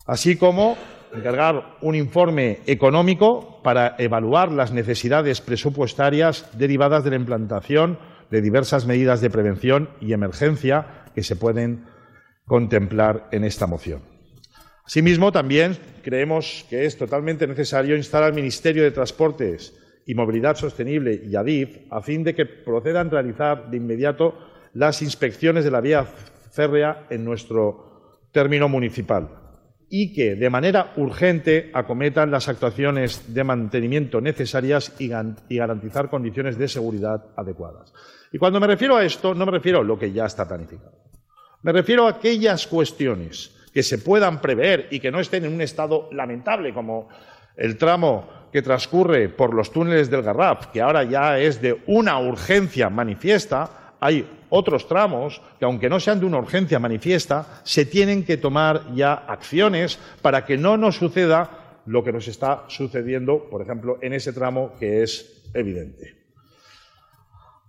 así como encargar un informe económico para evaluar las necesidades presupuestarias derivadas de la implantación de diversas medidas de prevención y emergencia que se pueden contemplar en esta moción. Asimismo, también creemos que es totalmente necesario instar al Ministerio de Transportes y Movilidad Sostenible y Adif a fin de que procedan a realizar de inmediato las inspecciones de la vía férrea en nuestro término municipal y que de manera urgente acometan las actuaciones de mantenimiento necesarias y garantizar condiciones de seguridad adecuadas. Y cuando me refiero a esto, no me refiero a lo que ya está planificado. Me refiero a aquellas cuestiones que se puedan prever y que no estén en un estado lamentable, como el tramo que transcurre por los túneles del Garraf, que ahora ya es de una urgencia manifiesta. Hay otros tramos que, aunque no sean de una urgencia manifiesta, se tienen que tomar ya acciones para que no nos suceda lo que nos está sucediendo, por ejemplo, en ese tramo que es evidente.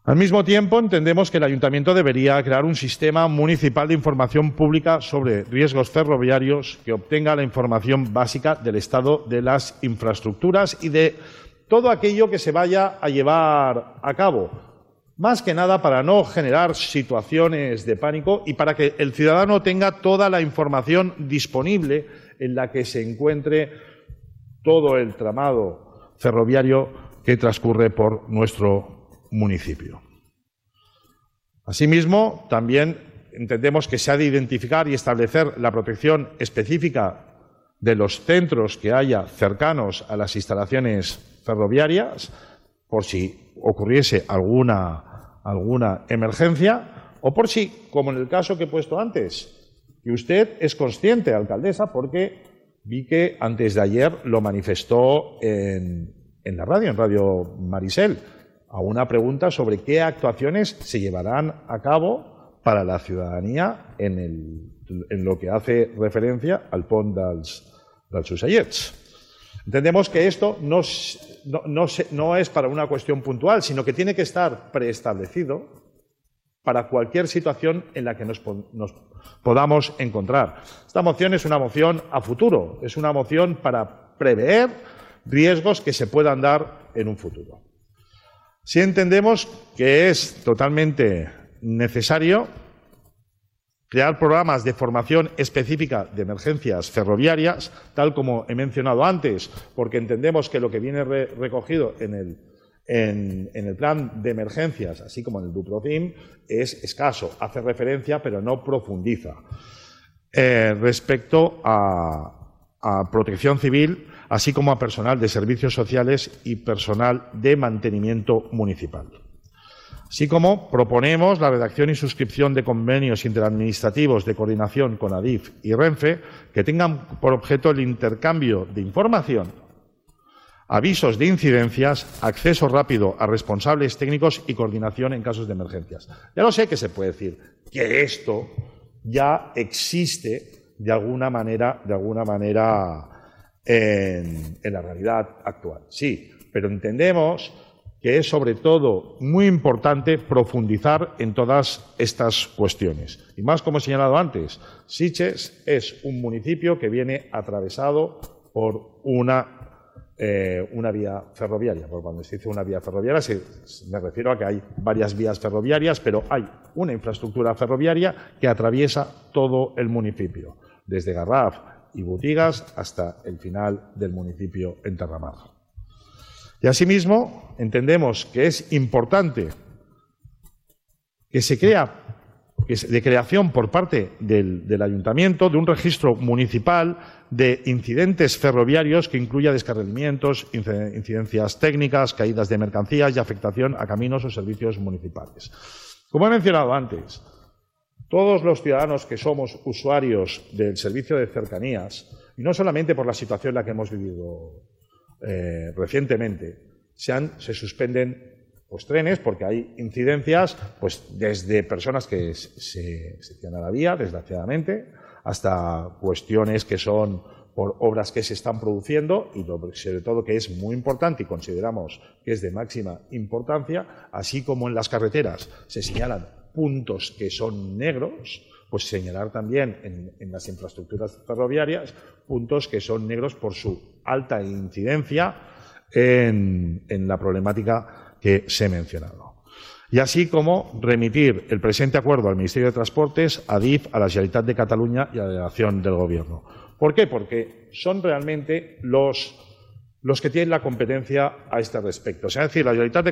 Al mismo tiempo, entendemos que el Ayuntamiento debería crear un sistema municipal de información pública sobre riesgos ferroviarios que obtenga la información básica del estado de las infraestructuras y de todo aquello que se vaya a llevar a cabo. Más que nada para no generar situaciones de pánico y para que el ciudadano tenga toda la información disponible en la que se encuentre todo el tramado ferroviario que transcurre por nuestro municipio. Asimismo, también entendemos que se ha de identificar y establecer la protección específica de los centros que haya cercanos a las instalaciones ferroviarias, por si ocurriese alguna emergencia, o por si, como en el caso que he puesto antes, que usted es consciente, alcaldesa, porque vi que antes de ayer lo manifestó en la radio, en Radio Marisel, a una pregunta sobre qué actuaciones se llevarán a cabo para la ciudadanía en lo que hace referencia al pont dels Ocellets. Entendemos que esto no es para una cuestión puntual, sino que tiene que estar preestablecido para cualquier situación en la que nos podamos encontrar. Esta moción es una moción a futuro, es una moción para prever riesgos que se puedan dar en un futuro. Sí entendemos que es totalmente necesario crear programas de formación específica de emergencias ferroviarias, tal como he mencionado antes, porque entendemos que lo que viene recogido en el plan de emergencias, así como en el DUPROCIM, es escaso, hace referencia pero no profundiza. Respecto a protección civil, así como a personal de servicios sociales y personal de mantenimiento municipal. Así como proponemos la redacción y suscripción de convenios interadministrativos de coordinación con ADIF y Renfe que tengan por objeto el intercambio de información, avisos de incidencias, acceso rápido a responsables técnicos y coordinación en casos de emergencias. Ya lo sé que se puede decir que esto ya existe de alguna manera en la realidad actual. Sí, pero entendemos que es sobre todo muy importante profundizar en todas estas cuestiones. Y más como he señalado antes, Sitges es un municipio que viene atravesado por una vía ferroviaria. Por cuando se dice una vía ferroviaria me refiero a que hay varias vías ferroviarias, pero hay una infraestructura ferroviaria que atraviesa todo el municipio, desde Garraf y Botigas hasta el final del municipio en Terramar. Y asimismo, entendemos que es importante que se de creación por parte del Ayuntamiento de un registro municipal de incidentes ferroviarios que incluya descarrilamientos, incidencias técnicas, caídas de mercancías y afectación a caminos o servicios municipales. Como he mencionado antes, todos los ciudadanos que somos usuarios del servicio de cercanías, y no solamente por la situación en la que hemos vivido recientemente, se suspenden trenes porque hay incidencias desde personas que se tiran a la vía, desgraciadamente, hasta cuestiones que son por obras que se están produciendo y sobre todo que es muy importante y consideramos que es de máxima importancia, así como en las carreteras se señalan puntos que son negros, pues señalar también en las infraestructuras ferroviarias puntos que son negros por su alta incidencia en la problemática que se he mencionado. Y así como remitir el presente acuerdo al Ministerio de Transportes, a ADIF, a la Generalitat de Cataluña y a la delegación del Gobierno. ¿Por qué? Porque son realmente los que tienen la competencia a este respecto. O sea, es decir, la Generalitat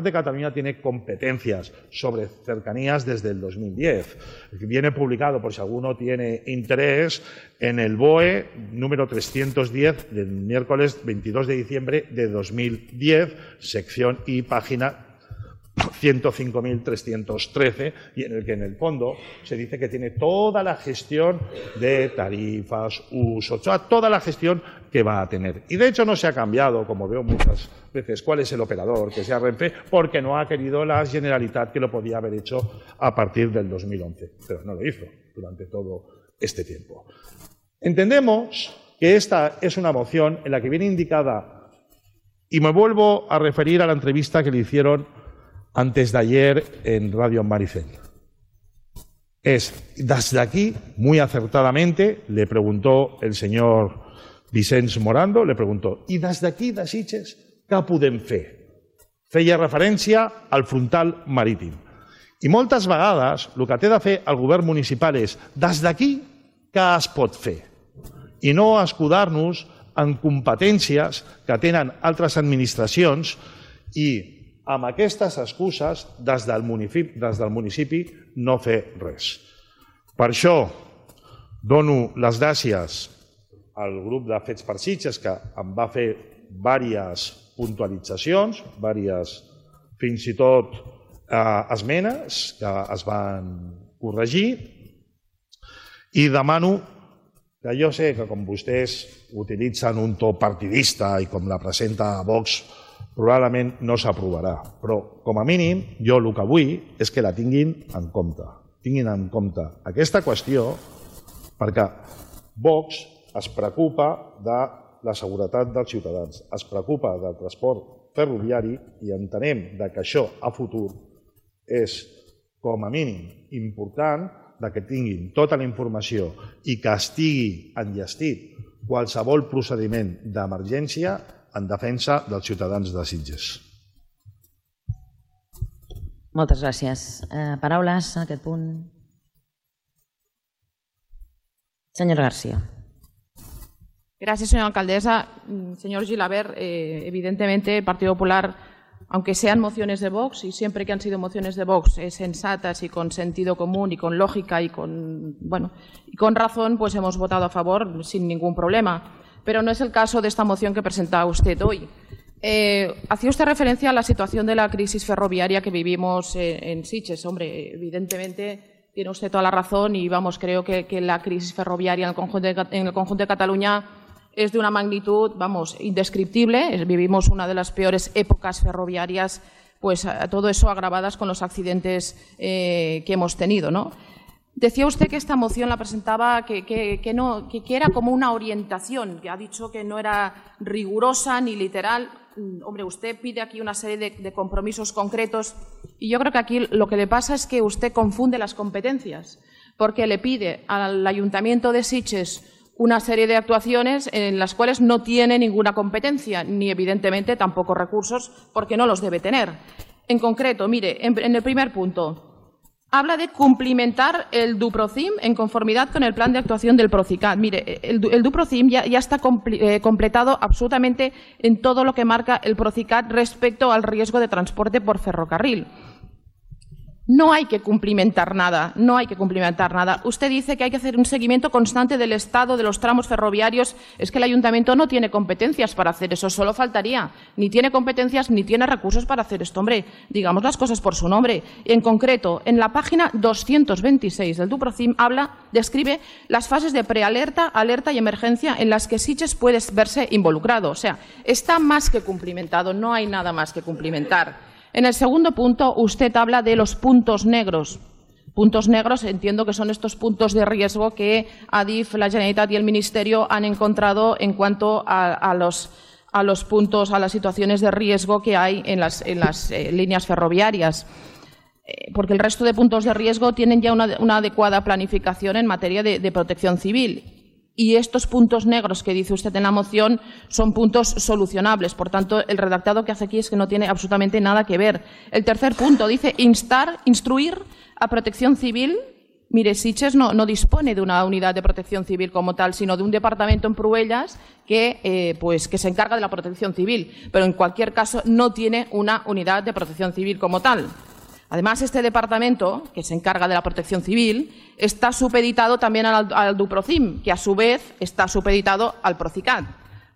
de Cataluña tiene competencias sobre cercanías desde el 2010. Viene publicado, por si alguno tiene interés, en el BOE número 310 del miércoles 22 de diciembre de 2010, sección y página 105.313, y en el que en el fondo se dice que tiene toda la gestión de tarifas, uso, toda la gestión que va a tener. Y de hecho no se ha cambiado, como veo muchas veces, cuál es el operador, que sea Renfe, porque no ha querido la Generalitat, que lo podía haber hecho a partir del 2011, pero no lo hizo durante todo este tiempo. Entendemos que esta es una moción en la que viene indicada, y me vuelvo a referir a la entrevista que le hicieron antes de ayer en Radio Maricel. Desde aquí, muy acertadamente, le preguntó el señor Vicens Morando, le preguntó, ¿y desde aquí, de Sitges, què podem fer? Feia referència al frontal marítim. I moltes vegades el que té de fer el govern municipal és des d'aquí què es pot fer i no escudar-nos en competències que tenen altres administracions i amb aquestes excuses des del municipi no fer res. Per això dono les gràcies al grup de Fets per Sitges que em va fer diverses puntualitzacions, fins i tot esmenes que es van corregir i demano que jo sé que com vostès utilitzen un to partidista i com la presenta Vox probablement no s'aprovarà, però com a mínim jo el que vull és que la tinguin en compte. Tinguin en compte aquesta qüestió perquè Vox es preocupa de la seguretat dels ciutadans, es preocupa del transport ferroviari i entenem que això a futur és com a mínim important que tinguin tota la informació i que estigui enllestit qualsevol procediment d'emergència en defensa dels ciutadans de Sitges. Moltes gràcies. Paraules en aquest punt. Senyora García. Gracias, señora alcaldesa. Señor Gilabert, evidentemente el Partido Popular, aunque sean mociones de Vox, y siempre que han sido mociones de Vox sensatas y con sentido común y con lógica y con razón, pues hemos votado a favor sin ningún problema. Pero no es el caso de esta moción que presenta usted hoy. Hacía usted referencia a la situación de la crisis ferroviaria que vivimos en Sitges. Hombre, evidentemente tiene usted toda la razón y creo que la crisis ferroviaria en el conjunto de Cataluña es de una magnitud, indescriptible. Vivimos una de las peores épocas ferroviarias, pues todo eso agravadas con los accidentes que hemos tenido, ¿no? Decía usted que esta moción la presentaba que era como una orientación, que ha dicho que no era rigurosa ni literal. Hombre, usted pide aquí una serie de compromisos concretos y yo creo que aquí lo que le pasa es que usted confunde las competencias, porque le pide al Ayuntamiento de Sitges una serie de actuaciones en las cuales no tiene ninguna competencia, ni evidentemente tampoco recursos, porque no los debe tener. En concreto, mire, en el primer punto, habla de cumplimentar el DUPROCIM en conformidad con el plan de actuación del PROCICAT. Mire, el DUPROCIM ya está completado absolutamente en todo lo que marca el PROCICAT respecto al riesgo de transporte por ferrocarril. No hay que cumplimentar nada, no hay que cumplimentar nada. Usted dice que hay que hacer un seguimiento constante del estado de los tramos ferroviarios. Es que el Ayuntamiento no tiene competencias para hacer eso, solo faltaría. Ni tiene competencias ni tiene recursos para hacer esto. Hombre, digamos las cosas por su nombre. En concreto, en la página 226 del DUPROCIM describe las fases de prealerta, alerta y emergencia en las que Sitges puede verse involucrado. O sea, está más que cumplimentado, no hay nada más que cumplimentar. En el segundo punto, usted habla de los puntos negros. Puntos negros, entiendo que son estos puntos de riesgo que ADIF, la Generalitat y el Ministerio han encontrado en cuanto a los puntos, a las situaciones de riesgo que hay en las líneas ferroviarias. Porque el resto de puntos de riesgo tienen ya una adecuada planificación en materia de protección civil. Y estos puntos negros que dice usted en la moción son puntos solucionables. Por tanto, el redactado que hace aquí es que no tiene absolutamente nada que ver. El tercer punto dice instruir a Protección Civil. Mire, Sitges no dispone de una unidad de protección civil como tal, sino de un departamento en Pruellas que se encarga de la protección civil. Pero en cualquier caso no tiene una unidad de protección civil como tal. Además, este departamento, que se encarga de la protección civil, está supeditado también al DUPROCIM, que a su vez está supeditado al PROCICAT.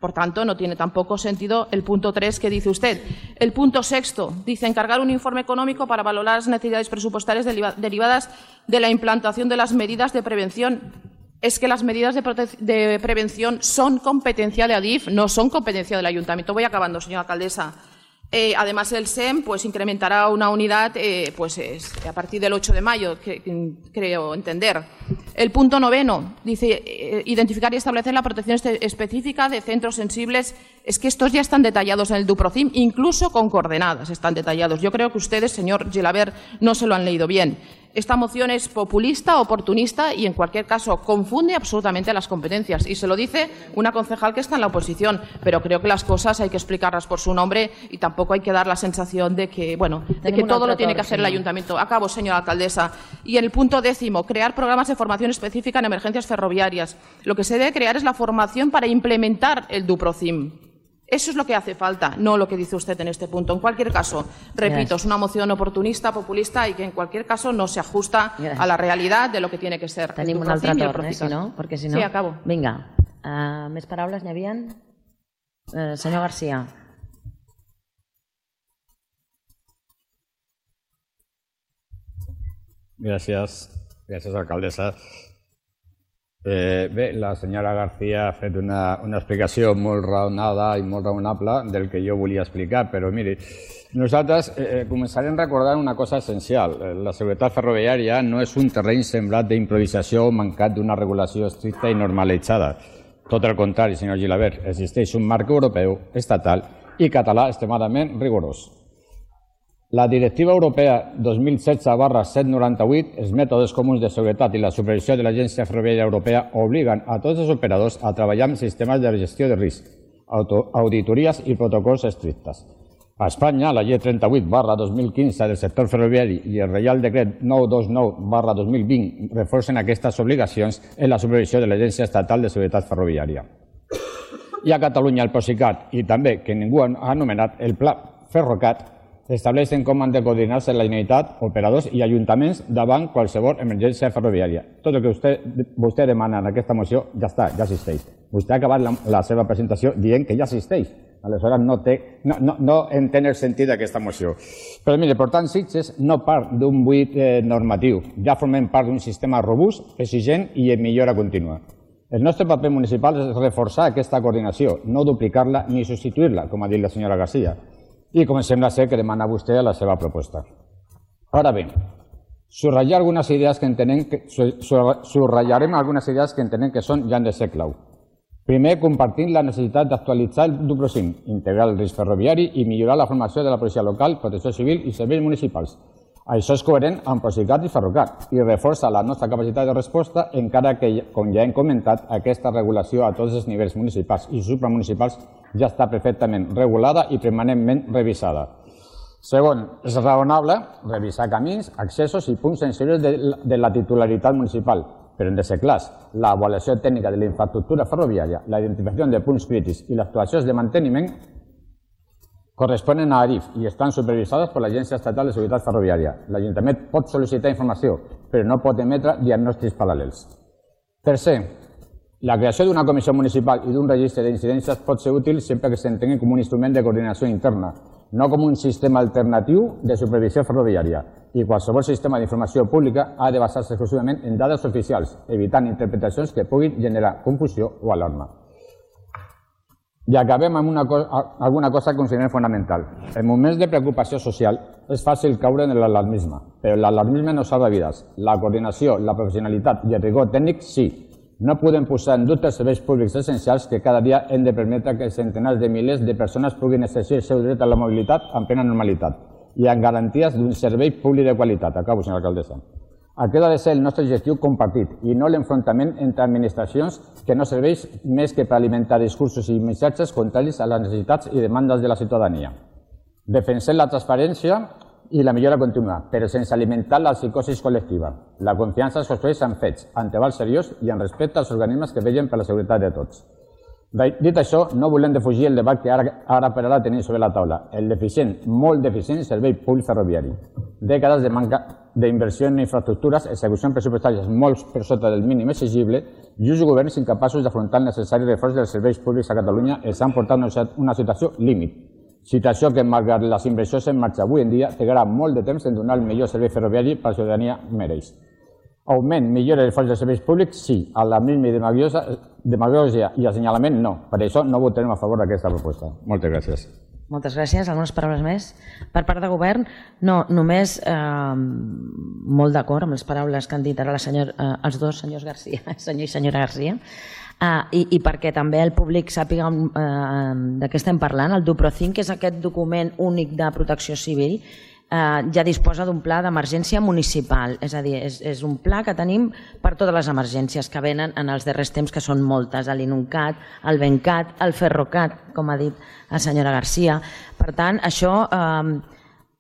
Por tanto, no tiene tampoco sentido el punto 3 que dice usted. El punto 6 dice encargar un informe económico para valorar las necesidades presupuestarias derivadas de la implantación de las medidas de prevención. Es que las medidas de prevención son competencia de ADIF, no son competencia del Ayuntamiento. Voy acabando, señora alcaldesa. Además, el SEM incrementará una unidad a partir del 8 de mayo, creo entender. El punto 9 dice identificar y establecer la protección específica de centros sensibles. Es que estos ya están detallados en el DUPROCIM, incluso con coordenadas están detallados. Yo creo que ustedes, señor Gilabert, no se lo han leído bien. esta moción es populista, oportunista y en cualquier caso confunde absolutamente las competencias. Y se lo dice una concejal que está en la oposición, pero creo que las cosas hay que explicarlas por su nombre y tampoco hay que dar la sensación de que, todo lo tiene que hacer el ayuntamiento. Acabo, señora alcaldesa. Y en el punto 10, crear programas de formación específica en emergencias ferroviarias. Lo que se debe crear es la formación para implementar el DuProcim. Eso es lo que hace falta, no lo que dice usted en este punto. En cualquier caso, repito, es una moción oportunista, populista y que en cualquier caso no se ajusta a la realidad de lo que tiene que ser. Tenim un altre torn, si no? Perquè si no... Sí, acabo. Vinga, més paraules n'hi havia? Senyor García. Gràcies, alcaldessa. Bé, la senyora García ha fet una explicació molt raonada i molt raonable del que jo volia explicar, però miri, nosaltres començarem recordant una cosa essencial. La seguretat ferroviària no és un terreny sembrat d'improvisació o mancat d'una regulació estricta i normalitzada. Tot el contrari, senyor Gilabert, existeix un marc europeu, estatal i català extremadament rigorós. La Directiva Europea 2016/798, els mètodes comuns de seguretat i la supervisió de l'Agència Ferroviària Europea obliguen a tots els operadors a treballar amb sistemes de gestió de risc, auditories i protocols estrictes. A Espanya, la Llei 38/2015 del sector ferroviari i el Reial Decret 929/2020 reforcen aquestes obligacions en la supervisió de l'Agència Estatal de Seguretat Ferroviària. I a Catalunya el Procicat i també, que ningú ha anomenat, el Pla Ferrocat, estableixen com han de coordinar-se la Generalitat, operadors i ajuntaments davant qualsevol emergència ferroviària. Tot el que vostè demana en aquesta moció ja està, ja existeix. Vostè ha acabat la seva presentació dient que ja existeix. Aleshores no entén el sentit d'aquesta moció. Però mire, per tant, Sitges no part d'un buit normatiu. Ja formem part d'un sistema robust, exigent i en millora contínua. El nostre paper municipal és reforçar aquesta coordinació, no duplicar-la ni substituir-la, com ha dit la senyora García. I com sembla ser que demana vostè a la seva proposta. Ara bé, subratllarem algunes idees que entenem que són ja han de ser clau. Primer, compartint la necessitat d'actualitzar el DuProcim, integrar el risc ferroviari i millorar la formació de la policia local, protecció civil i serveis municipals. Això és coherent amb Procicat i Ferrocat i reforça la nostra capacitat de resposta, encara que, com ja hem comentat, aquesta regulació a tots els nivells municipals i supramunicipals ja està perfectament regulada i permanentment revisada. Segon, és raonable revisar camins, accessos i punts sensibles de la titularitat municipal, però hem de ser clars. L'avaluació tècnica de la infraestructura ferroviària, la identificació de punts crítics i les actuacions de manteniment corresponen a ADIF i estan supervisades per l'Agència Estatal de Seguretat Ferroviària. L'Ajuntament pot sol·licitar informació, però no pot emetre diagnòstics paral·lels. Tercer, la creació d'una comissió municipal i d'un registre d'incidències pot ser útil sempre que s'entengui com un instrument de coordinació interna, no com un sistema alternatiu de supervisió ferroviària. I qualsevol sistema d'informació pública ha de basar-se exclusivament en dades oficials, evitant interpretacions que puguin generar confusió o alarma. I acabem amb alguna cosa que considerem fonamental. En moments de preocupació social és fàcil caure en l'alarmisme, però l'alarmisme no salva vides. La coordinació, la professionalitat i el rigor tècnic sí. No podem posar en dubte els serveis públics essencials que cada dia hem de permetre que centenars de milers de persones puguin exercir el seu dret a la mobilitat amb plena normalitat i amb garanties d'un servei públic de qualitat. Acabo, senyora alcaldessa. Aquest ha de ser el nostre objectiu compartit i no l'enfrontament entre administracions que no serveix més que per alimentar discursos i missatges contraris a les necessitats i demandes de la ciutadania. Defensem la transparència i la millora contínua, però sense alimentar la psicosi col·lectiva. La confiança es construeix en fets, en treball seriós i en respecte als organismes que vetllen per la seguretat de tots. Dit això, no volem defugir el debat que ara per ara tenim sobre la taula, el deficient, molt deficient servei públic ferroviari. Dècades de manca d'inversió en infraestructures, execucions pressupostàries molt per sota del mínim exigible i uns governs incapaços d'afrontar el necessari reforç dels serveis públics a Catalunya ens han portat una situació límit. Situació que, malgrat les inversions en marxa avui en dia, trigarà molt de temps en donar el millor servei ferroviari per la ciutadania mereix. Augment, millora del fons dels serveis públics, sí. Alarmisme i demagògia i assenyalament, no. Per això no votarem a favor d'aquesta proposta. Moltes gràcies. Moltes gràcies. Algunes paraules més? Per part de govern, no, només molt d'acord amb les paraules que han dit ara els dos senyors García, senyor i senyora García, i perquè també el públic sàpiga de què estem parlant. El DuProcim, que és aquest document únic de protecció civil, ja disposa d'un pla d'emergència municipal, és a dir, és un pla que tenim per totes les emergències que venen en els darrers temps, que són moltes, l'Inuncat, el Bencat, el Ferrocat, com ha dit la senyora Garcia. Per tant, això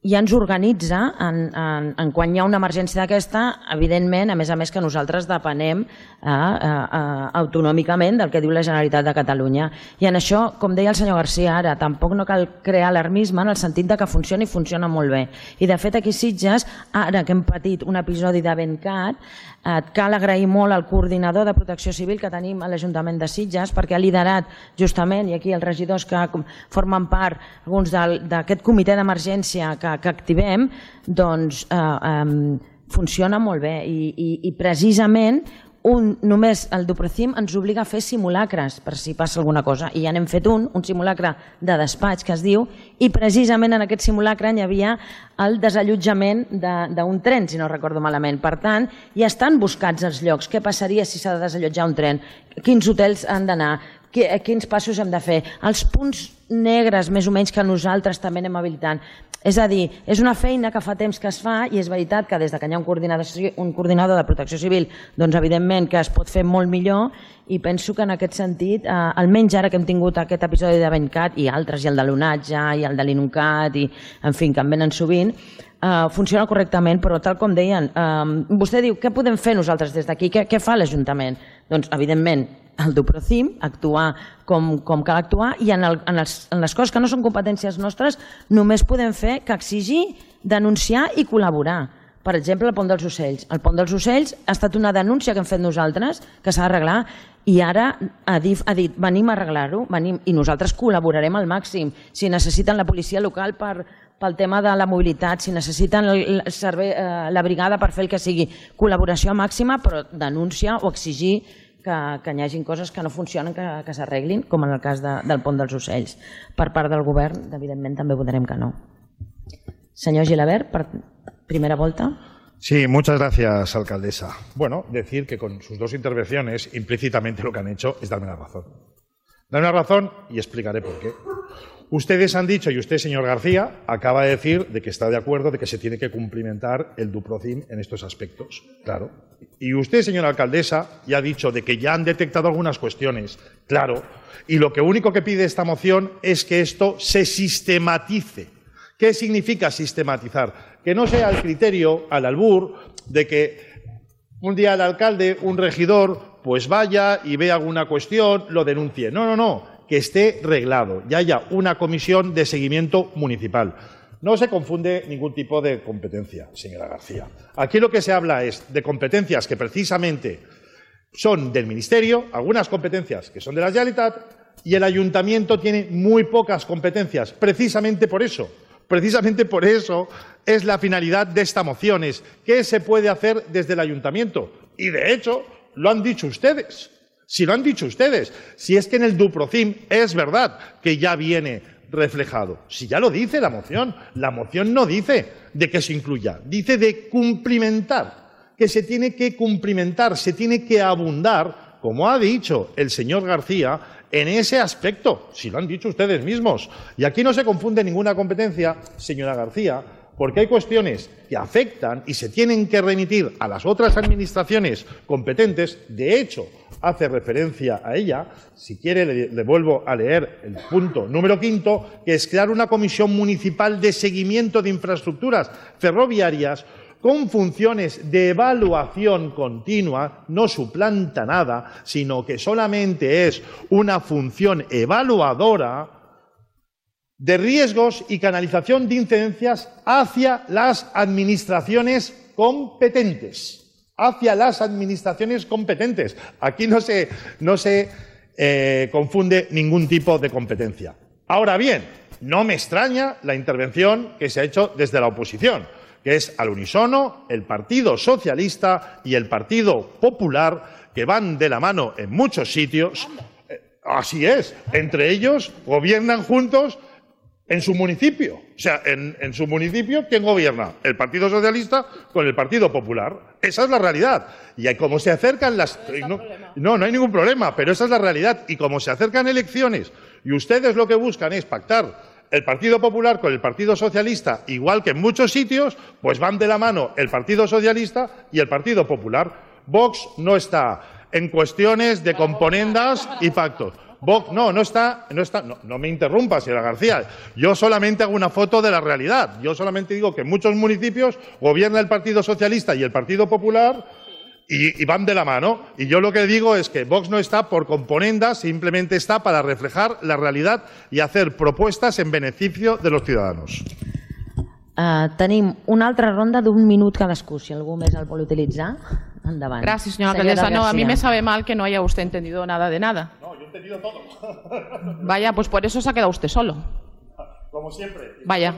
ja ens organitza en quan hi ha una emergència d'aquesta, evidentment, a més que nosaltres depenem autonòmicament del que diu la Generalitat de Catalunya. I en això, com deia el senyor Garcia ara, tampoc no cal crear alarmisme en el sentit que funciona i funciona molt bé. I de fet aquí a Sitges, ara que hem patit un episodi de Bencat, cal agrair molt al coordinador de Protecció Civil que tenim a l'Ajuntament de Sitges, perquè ha liderat justament, i aquí els regidors que formen part, alguns d'aquest comitè d'emergència que activem, doncs funciona molt bé i precisament només el Duprocim ens obliga a fer simulacres per si passa alguna cosa, i ja n'hem fet un simulacre de despatx que es diu, i precisament en aquest simulacre hi havia el desallotjament d'un tren, si no recordo malament. Per tant, ja estan buscats els llocs. Què passaria si s'ha de desallotjar un tren? Quins hotels han d'anar? Quins passos hem de fer? Els punts negres, més o menys, que nosaltres també anem habilitant. És a dir, és una feina que fa temps que es fa, i és veritat que des que hi ha un coordinador de Protecció Civil, doncs evidentment que es pot fer molt millor, i penso que en aquest sentit, almenys ara que hem tingut aquest episodi de Bencat i altres, i el de l'Onatge, i el de l'Inuncat, i en fi, que en venen sovint, funciona correctament, però tal com deien, vostè diu, què podem fer nosaltres des d'aquí? Què fa l'Ajuntament? Doncs, evidentment, el Duprocim, actuar com cal actuar, i en les coses que no són competències nostres només podem fer que exigir, denunciar i col·laborar. Per exemple, el Pont dels Ocells. El Pont dels Ocells ha estat una denúncia que hem fet nosaltres, que s'ha d'arreglar, i ara ha dit, venim a arreglar-ho, i nosaltres col·laborarem al màxim. Si necessiten la policia local pel tema de la mobilitat, si necessiten la brigada per fer el que sigui, col·laboració màxima, però denúncia o exigir que hi hagi coses que no funcionen, que s'arreglin, com en el cas del Pont dels Ocells. Per part del govern, evidentment, també votarem que no. Senyor Gilabert, per primera volta. Sí, muchas gracias, alcaldesa. Bueno, decir que con sus dos intervenciones, implícitamente lo que han hecho es darme la razón. Darme la razón y explicaré por qué. Ustedes han dicho, y usted, señor García, acaba de decir de que está de acuerdo de que se tiene que cumplimentar el Duprocim en estos aspectos. Claro. Y usted, señora alcaldesa, ya ha dicho de que ya han detectado algunas cuestiones. Claro. Y lo único que pide esta moción es que esto se sistematice. ¿Qué significa sistematizar? Que no sea el criterio, al albur, de que un día el alcalde, un regidor, pues vaya y vea alguna cuestión, lo denuncie. No, no, no. Que esté reglado y haya una comisión de seguimiento municipal. No se confunde ningún tipo de competencia, señora García. Aquí lo que se habla es de competencias que precisamente son del Ministerio, algunas competencias que son de la Generalitat, y el Ayuntamiento tiene muy pocas competencias. Precisamente por eso es la finalidad de esta moción, es qué se puede hacer desde el Ayuntamiento. Y de hecho, lo han dicho ustedes. Si lo han dicho ustedes, si es que en el Duprocim es verdad que ya viene reflejado. Si ya lo dice la moción no dice de que se incluya, dice de cumplimentar, que se tiene que cumplimentar, se tiene que abundar, como ha dicho el señor García, en ese aspecto, si lo han dicho ustedes mismos. Y aquí no se confunde ninguna competencia, señora García, porque hay cuestiones que afectan y se tienen que remitir a las otras administraciones competentes. De hecho, hace referencia a ella, si quiere le vuelvo a leer el punto número 5, que es crear una comisión municipal de seguimiento de infraestructuras ferroviarias con funciones de evaluación continua, no suplanta nada, sino que solamente es una función evaluadora de riesgos y canalización de incidencias hacia las administraciones competentes. Hacia las administraciones competentes. Aquí no se confunde ningún tipo de competencia. Ahora bien, no me extraña la intervención que se ha hecho desde la oposición, que es al unísono el Partido Socialista y el Partido Popular, que van de la mano en muchos sitios. Así es, entre ellos gobiernan juntos en su municipio. O sea, en su municipio, ¿quién gobierna? El Partido Socialista con el Partido Popular. Esa es la realidad. Y como se acercan las... No hay ningún problema, pero esa es la realidad. Y como se acercan elecciones y ustedes lo que buscan es pactar el Partido Popular con el Partido Socialista, igual que en muchos sitios, pues van de la mano el Partido Socialista y el Partido Popular. Vox no está en cuestiones de componendas y pactos. Vox no me interrumpa, señora García. Yo solamente hago una foto de la realidad. Yo solamente digo que en muchos municipios gobierna el Partido Socialista y el Partido Popular y van de la mano. Y yo lo que digo es que Vox no está por componendas, simplemente está para reflejar la realidad y hacer propuestas en beneficio de los ciudadanos. Tenim una altra ronda d'un minut cadascú. Si algú més el vol utilitzar, endavant. Gracias, señora alcaldesa. No, a mí me sabe mal que no haya usted entendido nada de nada. No, yo he entendido todo. Vaya, pues por eso se ha quedado usted solo. Como siempre. Vaya.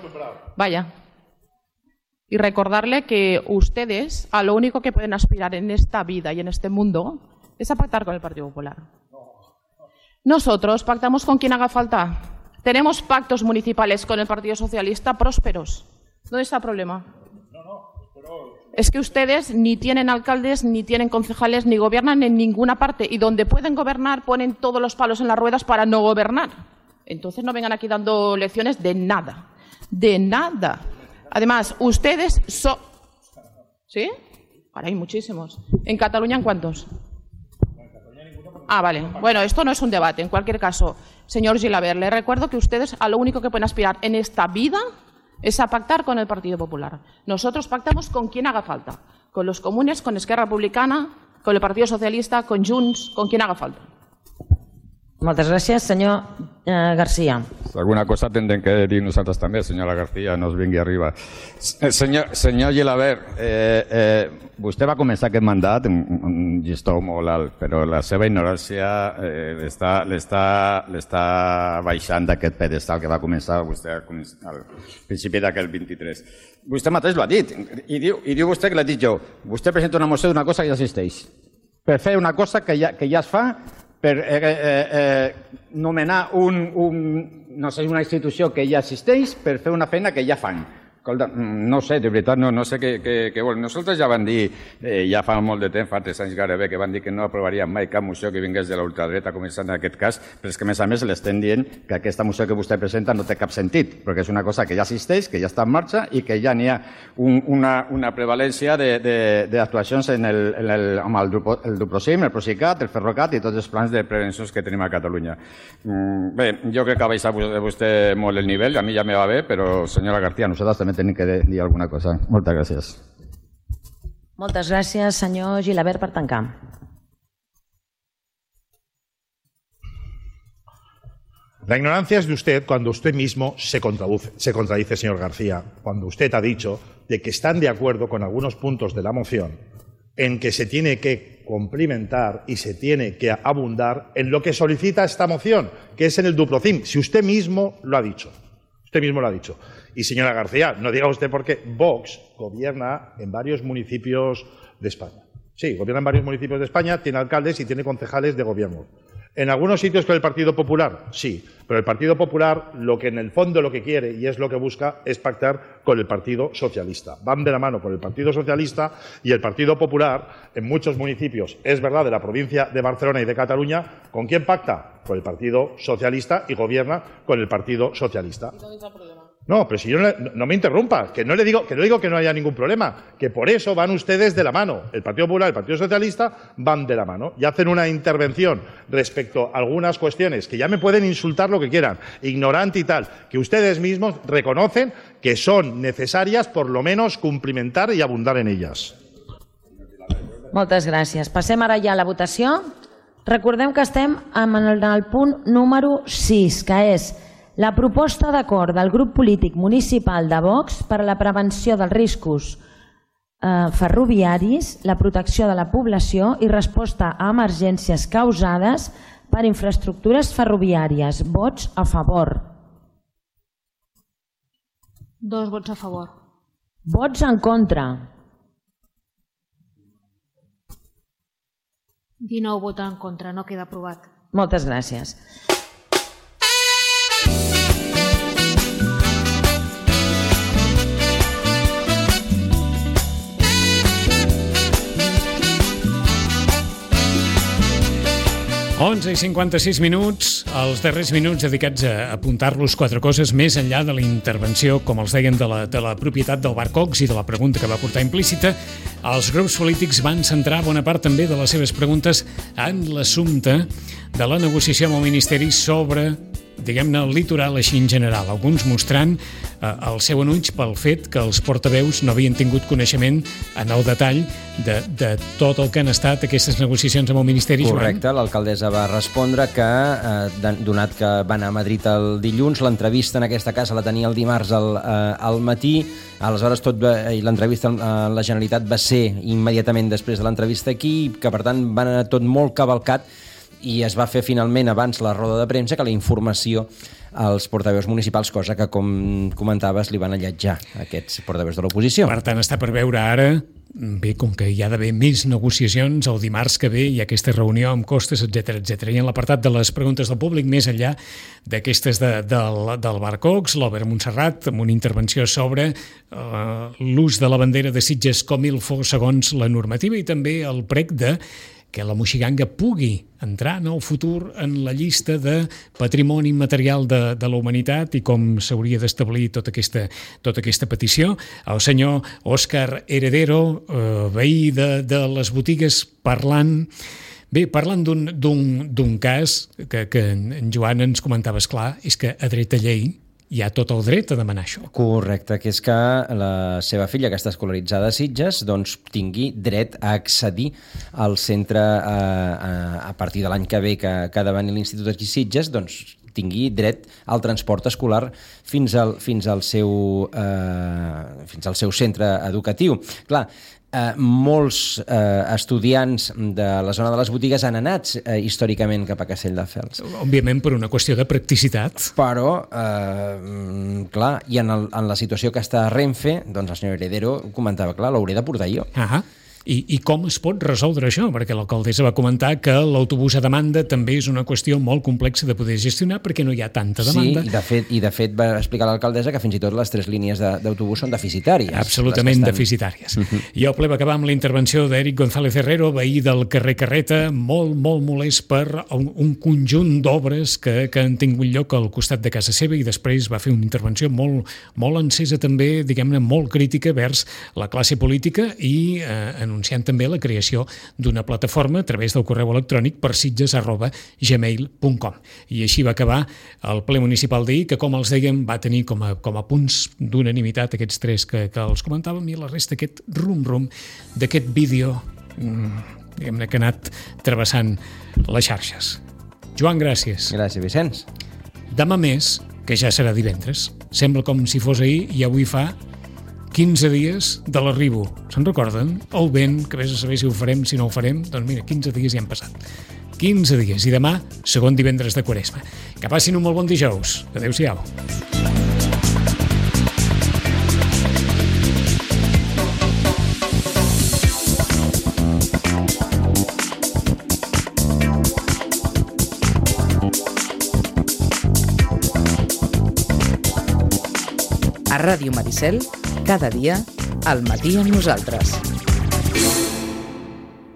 Y recordarle que ustedes a lo único que pueden aspirar en esta vida y en este mundo es a pactar con el Partido Popular. Nosotros pactamos con quien haga falta. Tenemos pactos municipales con el Partido Socialista prósperos. ¿Dónde está el problema? Es que ustedes ni tienen alcaldes, ni tienen concejales, ni gobiernan en ninguna parte. Y donde pueden gobernar ponen todos los palos en las ruedas para no gobernar. Entonces no vengan aquí dando lecciones de nada. De nada. Además, ustedes son... ¿Sí? Ahora hay muchísimos. ¿En Cataluña en cuántos? Ah, vale. Bueno, esto no es un debate. En cualquier caso, señor Gilabert, le recuerdo que ustedes a lo único que pueden aspirar en esta vida es a pactar con el Partido Popular. Nosotros pactamos con quien haga falta. Con los comunes, con Esquerra Republicana, con el Partido Socialista, con Junts, con quien haga falta. Moltes gràcies, senyor García. Alguna cosa tendrem que dir nosaltres també, senyora García, no es vingui arriba. Senyor Gilabert, vostè va començar aquest mandat amb un llistó molt alt, però la seva ignorància l'està baixant d'aquest pedestal que va començar vostè al principi d'aquest 23. Vostè mateix l'ha dit, i diu vostè que l'ha dit jo. Vostè presenta una moció d'una cosa que ja existeix. Per fer una cosa que ja es fa, per nomenar una institució que ja existeix per fer una feina que ja fan. No sé, de veritat, no sé què vol. Nosaltres ja vam dir, ja fa molt de temps, fa 3 anys gairebé, que vam dir que no aprovaríem mai cap moció que vingués de la ultradreta, començant en aquest cas, però és que a més l'estem dient que aquesta moció que vostè presenta no té cap sentit, perquè és una cosa que ja existeix, que ja està en marxa i que ja n'hi ha una prevalència d'actuacions amb el Duprosim, el Procicat, el Ferrocat i tots els plans de prevencions que tenim a Catalunya. Bé, jo crec que ha baixat vostè molt el nivell, a mi ja me va bé, però senyora García, nosaltres també tenim que dir alguna cosa. Moltes gràcies. Moltes gràcies, senyor Gilabert, per tancar. La ignorancia es de usted cuando usted mismo se contradice, señor García, cuando usted ha dicho de que están de acuerdo con algunos puntos de la moción en que se tiene que complementar y se tiene que abundar en lo que solicita esta moción, que es en el Duprocim, si usted mismo lo ha dicho. Usted mismo lo ha dicho. Y señora García, no diga usted por qué Vox gobierna en varios municipios de España. Sí, gobierna en varios municipios de España, tiene alcaldes y tiene concejales de gobierno. ¿En algunos sitios con el Partido Popular? Sí, pero el Partido Popular lo que en el fondo lo que quiere y es lo que busca es pactar con el Partido Socialista. Van de la mano con el Partido Socialista y el Partido Popular en muchos municipios, es verdad, de la provincia de Barcelona y de Cataluña, ¿con quién pacta? Con el Partido Socialista y gobierna con el Partido Socialista. No, pero si yo no me interrumpa, que no digo que no haya ningún problema, que por eso van ustedes de la mano. El Partido Popular y el Partido Socialista van de la mano y hacen una intervención respecto a algunas cuestiones que ya me pueden insultar lo que quieran, ignorante y tal, que ustedes mismos reconocen que son necesarias por lo menos cumplimentar y abundar en ellas. Moltes gràcies. Passem ara ja a la votació. Recordem que estem en el punt número 6, que és la proposta d'acord del grup polític municipal de Vox per a la prevenció dels riscos ferroviaris, la protecció de la població i resposta a emergències causades per infraestructures ferroviàries. Vots a favor. 2 vots a favor. Vots en contra. 19 vots en contra, no queda aprovat. Moltes gràcies. 11:56 minuts, els darrers minuts dedicats a apuntar-los 4 coses més enllà de la intervenció, com els deien, de la propietat del Bar Cox i de la pregunta que va portar implícita. Els grups polítics van centrar bona part també de les seves preguntes en l'assumpte de la negociació amb el Ministeri sobre, diguem-ne, el litoral així en general, alguns mostrant el seu enuig pel fet que els portaveus no havien tingut coneixement en el detall de tot el que han estat aquestes negociacions amb el Ministeri. Correcte, l'alcaldessa va respondre que, donat que va anar a Madrid el dilluns, l'entrevista en aquesta casa la tenia el dimarts al matí, aleshores l'entrevista a la Generalitat va ser immediatament després de l'entrevista aquí, que per tant va anar tot molt cavalcat, i es va fer finalment abans la roda de premsa que la informació als portaveus municipals, cosa que, com comentaves, li van alletjar aquests portaveus de l'oposició. Per tant, està per veure ara, bé, com que hi ha d'haver més negociacions, el dimarts que ve hi ha aquesta reunió amb Costes, etc etc. I en l'apartat de les preguntes del públic, més enllà d'aquestes del Bar Cox, l'Obert Montserrat, amb una intervenció sobre l'ús de la bandera de Sitges com ilfo segons la normativa, i també el prec de que la Moixiganga pugui entrar en el futur en la llista de patrimoni immaterial de la humanitat i com s'hauria d'establir tota aquesta petició. El senyor Òscar Heredero, veí de les botigues, parlant d'un cas que en Joan ens comentava, esclar, és que a dret a llei hi ha tot el dret a demanar això. Correcte, que és que la seva filla, que està escolaritzada a Sitges, doncs tingui dret a accedir al centre a partir de l'any que ve, que ha de venir l'Institut aquí a Sitges, doncs tingui dret al transport escolar fins al seu centre educatiu. Clar, molts estudiants de la zona de les botigues han anat històricament cap a Castelldefels. Òbviament per una qüestió de practicitat. Però, clar, i en la situació que està a Renfe, doncs el senyor Heredero comentava, clar, l'hauré de portar jo. I com es pot resoldre això? Perquè l'alcaldessa va comentar que l'autobús a demanda també és una qüestió molt complexa de poder gestionar perquè no hi ha tanta demanda. Sí, i de fet va explicar l'alcaldessa que fins i tot les 3 línies d'autobús són deficitàries. Absolutament deficitàries. I el ple va acabar amb la intervenció d'Eric González Herrero, veí del carrer Carreta, molt molest per un conjunt d'obres que han tingut lloc al costat de casa seva, i després va fer una intervenció molt encesa també, diguem-ne, molt crítica vers la classe política, i anunciant també la creació d'una plataforma a través del correu electrònic persitges@gmail.com. I així va acabar el ple municipal d'ahir, que, com els dèiem, va tenir com a punts d'unanimitat aquests 3 que els comentàvem, i la resta aquest rum-rum d'aquest vídeo, diguem-ne, que ha anat travessant les xarxes. Joan, gràcies. Gràcies, Vicenç. Demà més, que ja serà divendres. Sembla com si fos ahir, i avui fa 15 dies de l'arribo. Se'n recorden? El vent, que vés a saber si ho farem, si no ho farem. Doncs mira, 15 dies ja han passat. 15 dies. I demà, segon divendres de Quaresma. Que passin un molt bon dijous. Adéu-siau. A Ràdio Maricel, cada dia, al matí amb nosaltres.